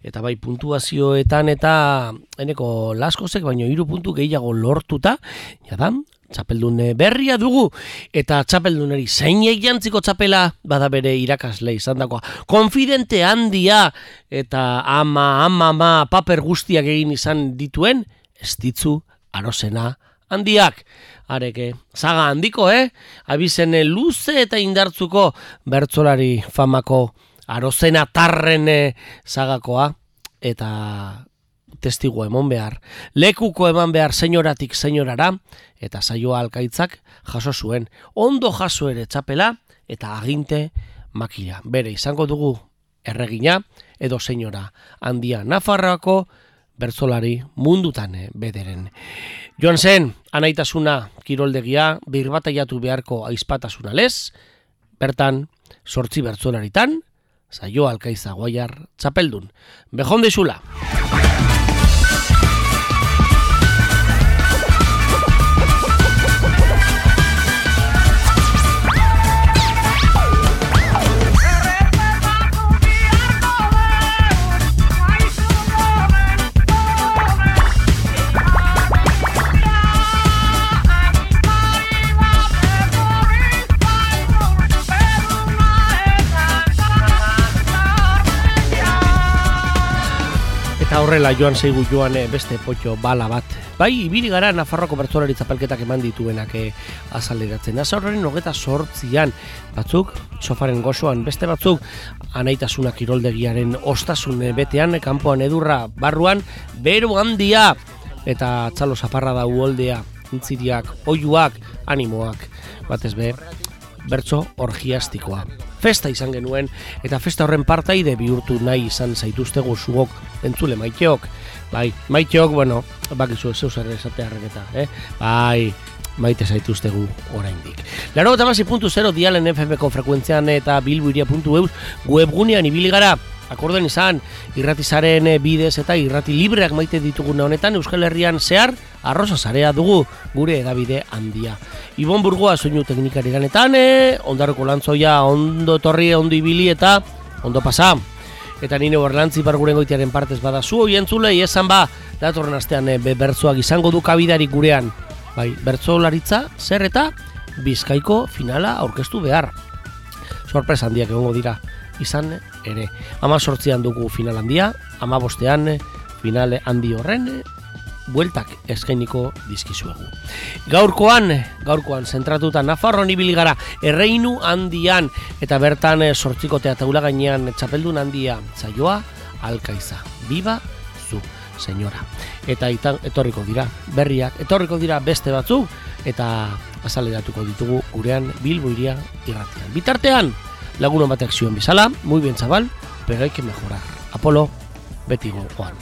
Eta bai, puntuazioetan eta eneko Laskozek baino hiru puntu gehiago lortuta, jadan, txapeldun berria dugu, eta txapeldunari zeinei jantziko txapela bada bere irakasle izan dakoa. Konfidente handia eta ama, ama, ama, paper guztiak egin izan dituen, ez ditzu Arozena handiak. Areke, zaga handiko, eh? Abizen luze eta indartzuko bertsolari famako Arozena tarren zagakoa, eta testigo emon behar, lekuko eman behar senyoratik senyorara, eta saioa Alkaitzak jaso zuen, ondo jaso ere txapela, eta aginte makila. Bere izango dugu erregina, edo senyora handia Nafarroako bertsolari mundutan bederen. Joan zen, anaitasuna kiroldegia, birbataiatu beharko aizpatasuna lez, bertan, sortzi bertsolaritan, saioa Alkaitza Guaiar txapeldun. Bejon dizula! Eta horrela joan zeigu joan beste potxo bala bat. Bai, ibili gara Nafarroako bertsolari txapelketak eman dituenak azaleratzen. Asa horren hogeta sortzian batzuk, sofaren gozoan, beste batzuk, anaitasuna kiroldegiaren ostasun betean, kanpoan edurra barruan, bero handia, eta txalo zaparra da uholdea, intziriak, oiuak, animoak, batez be, bertso orgiastikoa. Festa izan genuen, eta festa horren partaide bihurtu nahi izan zaituztego zuok entzule maiteok. Bai, maiteok, bueno, bakizu zeu zer esatearen eta, eh? Bai, maite zaituztegu oraindik. Laro eta basi puntu zero dialen F M ko frekuentzian eta bilboiria puntu eus webgunean ibili gara. Akorden izan, irratizaren bidez eta irrati libreak maite dituguna honetan Euskal Herrian zehar arroza zarea dugu gure edabide handia. Ibon Burgoa soinu teknikari ganetan, ondarroko lantzoia ondo torri, ondo ibili eta ondo pasa. Eta nire Berlantzi Barguren goitiaren partez bada zu hoi entzulei esan ba, datorren astean be, bertsoak izango du kabidarik gurean. Bai, bertsolaritza zer eta Bizkaiko finala aurkeztu behar. Sorpresa handiak egongo dira. Izan ere, ama sortzian dugu final handia, ama bostean finale handi horren bueltak eskainiko dizkizuegu. Gaurkoan, gaurkoan zentratuta Nafarroan ibili gara erreinu handian eta bertan sortzikotea taula gainean txapeldun handia saioa Alkaiza. Biba zu, senyora. Eta itan, etorriko dira berriak, etorriko dira beste batzuk eta azaleratuko ditugu gurean Bilboiria irratian. Bitartean, lagunon batek zioen bizala, muy bien chaval, pero hay que mejorar. Apolo, beti gogoan.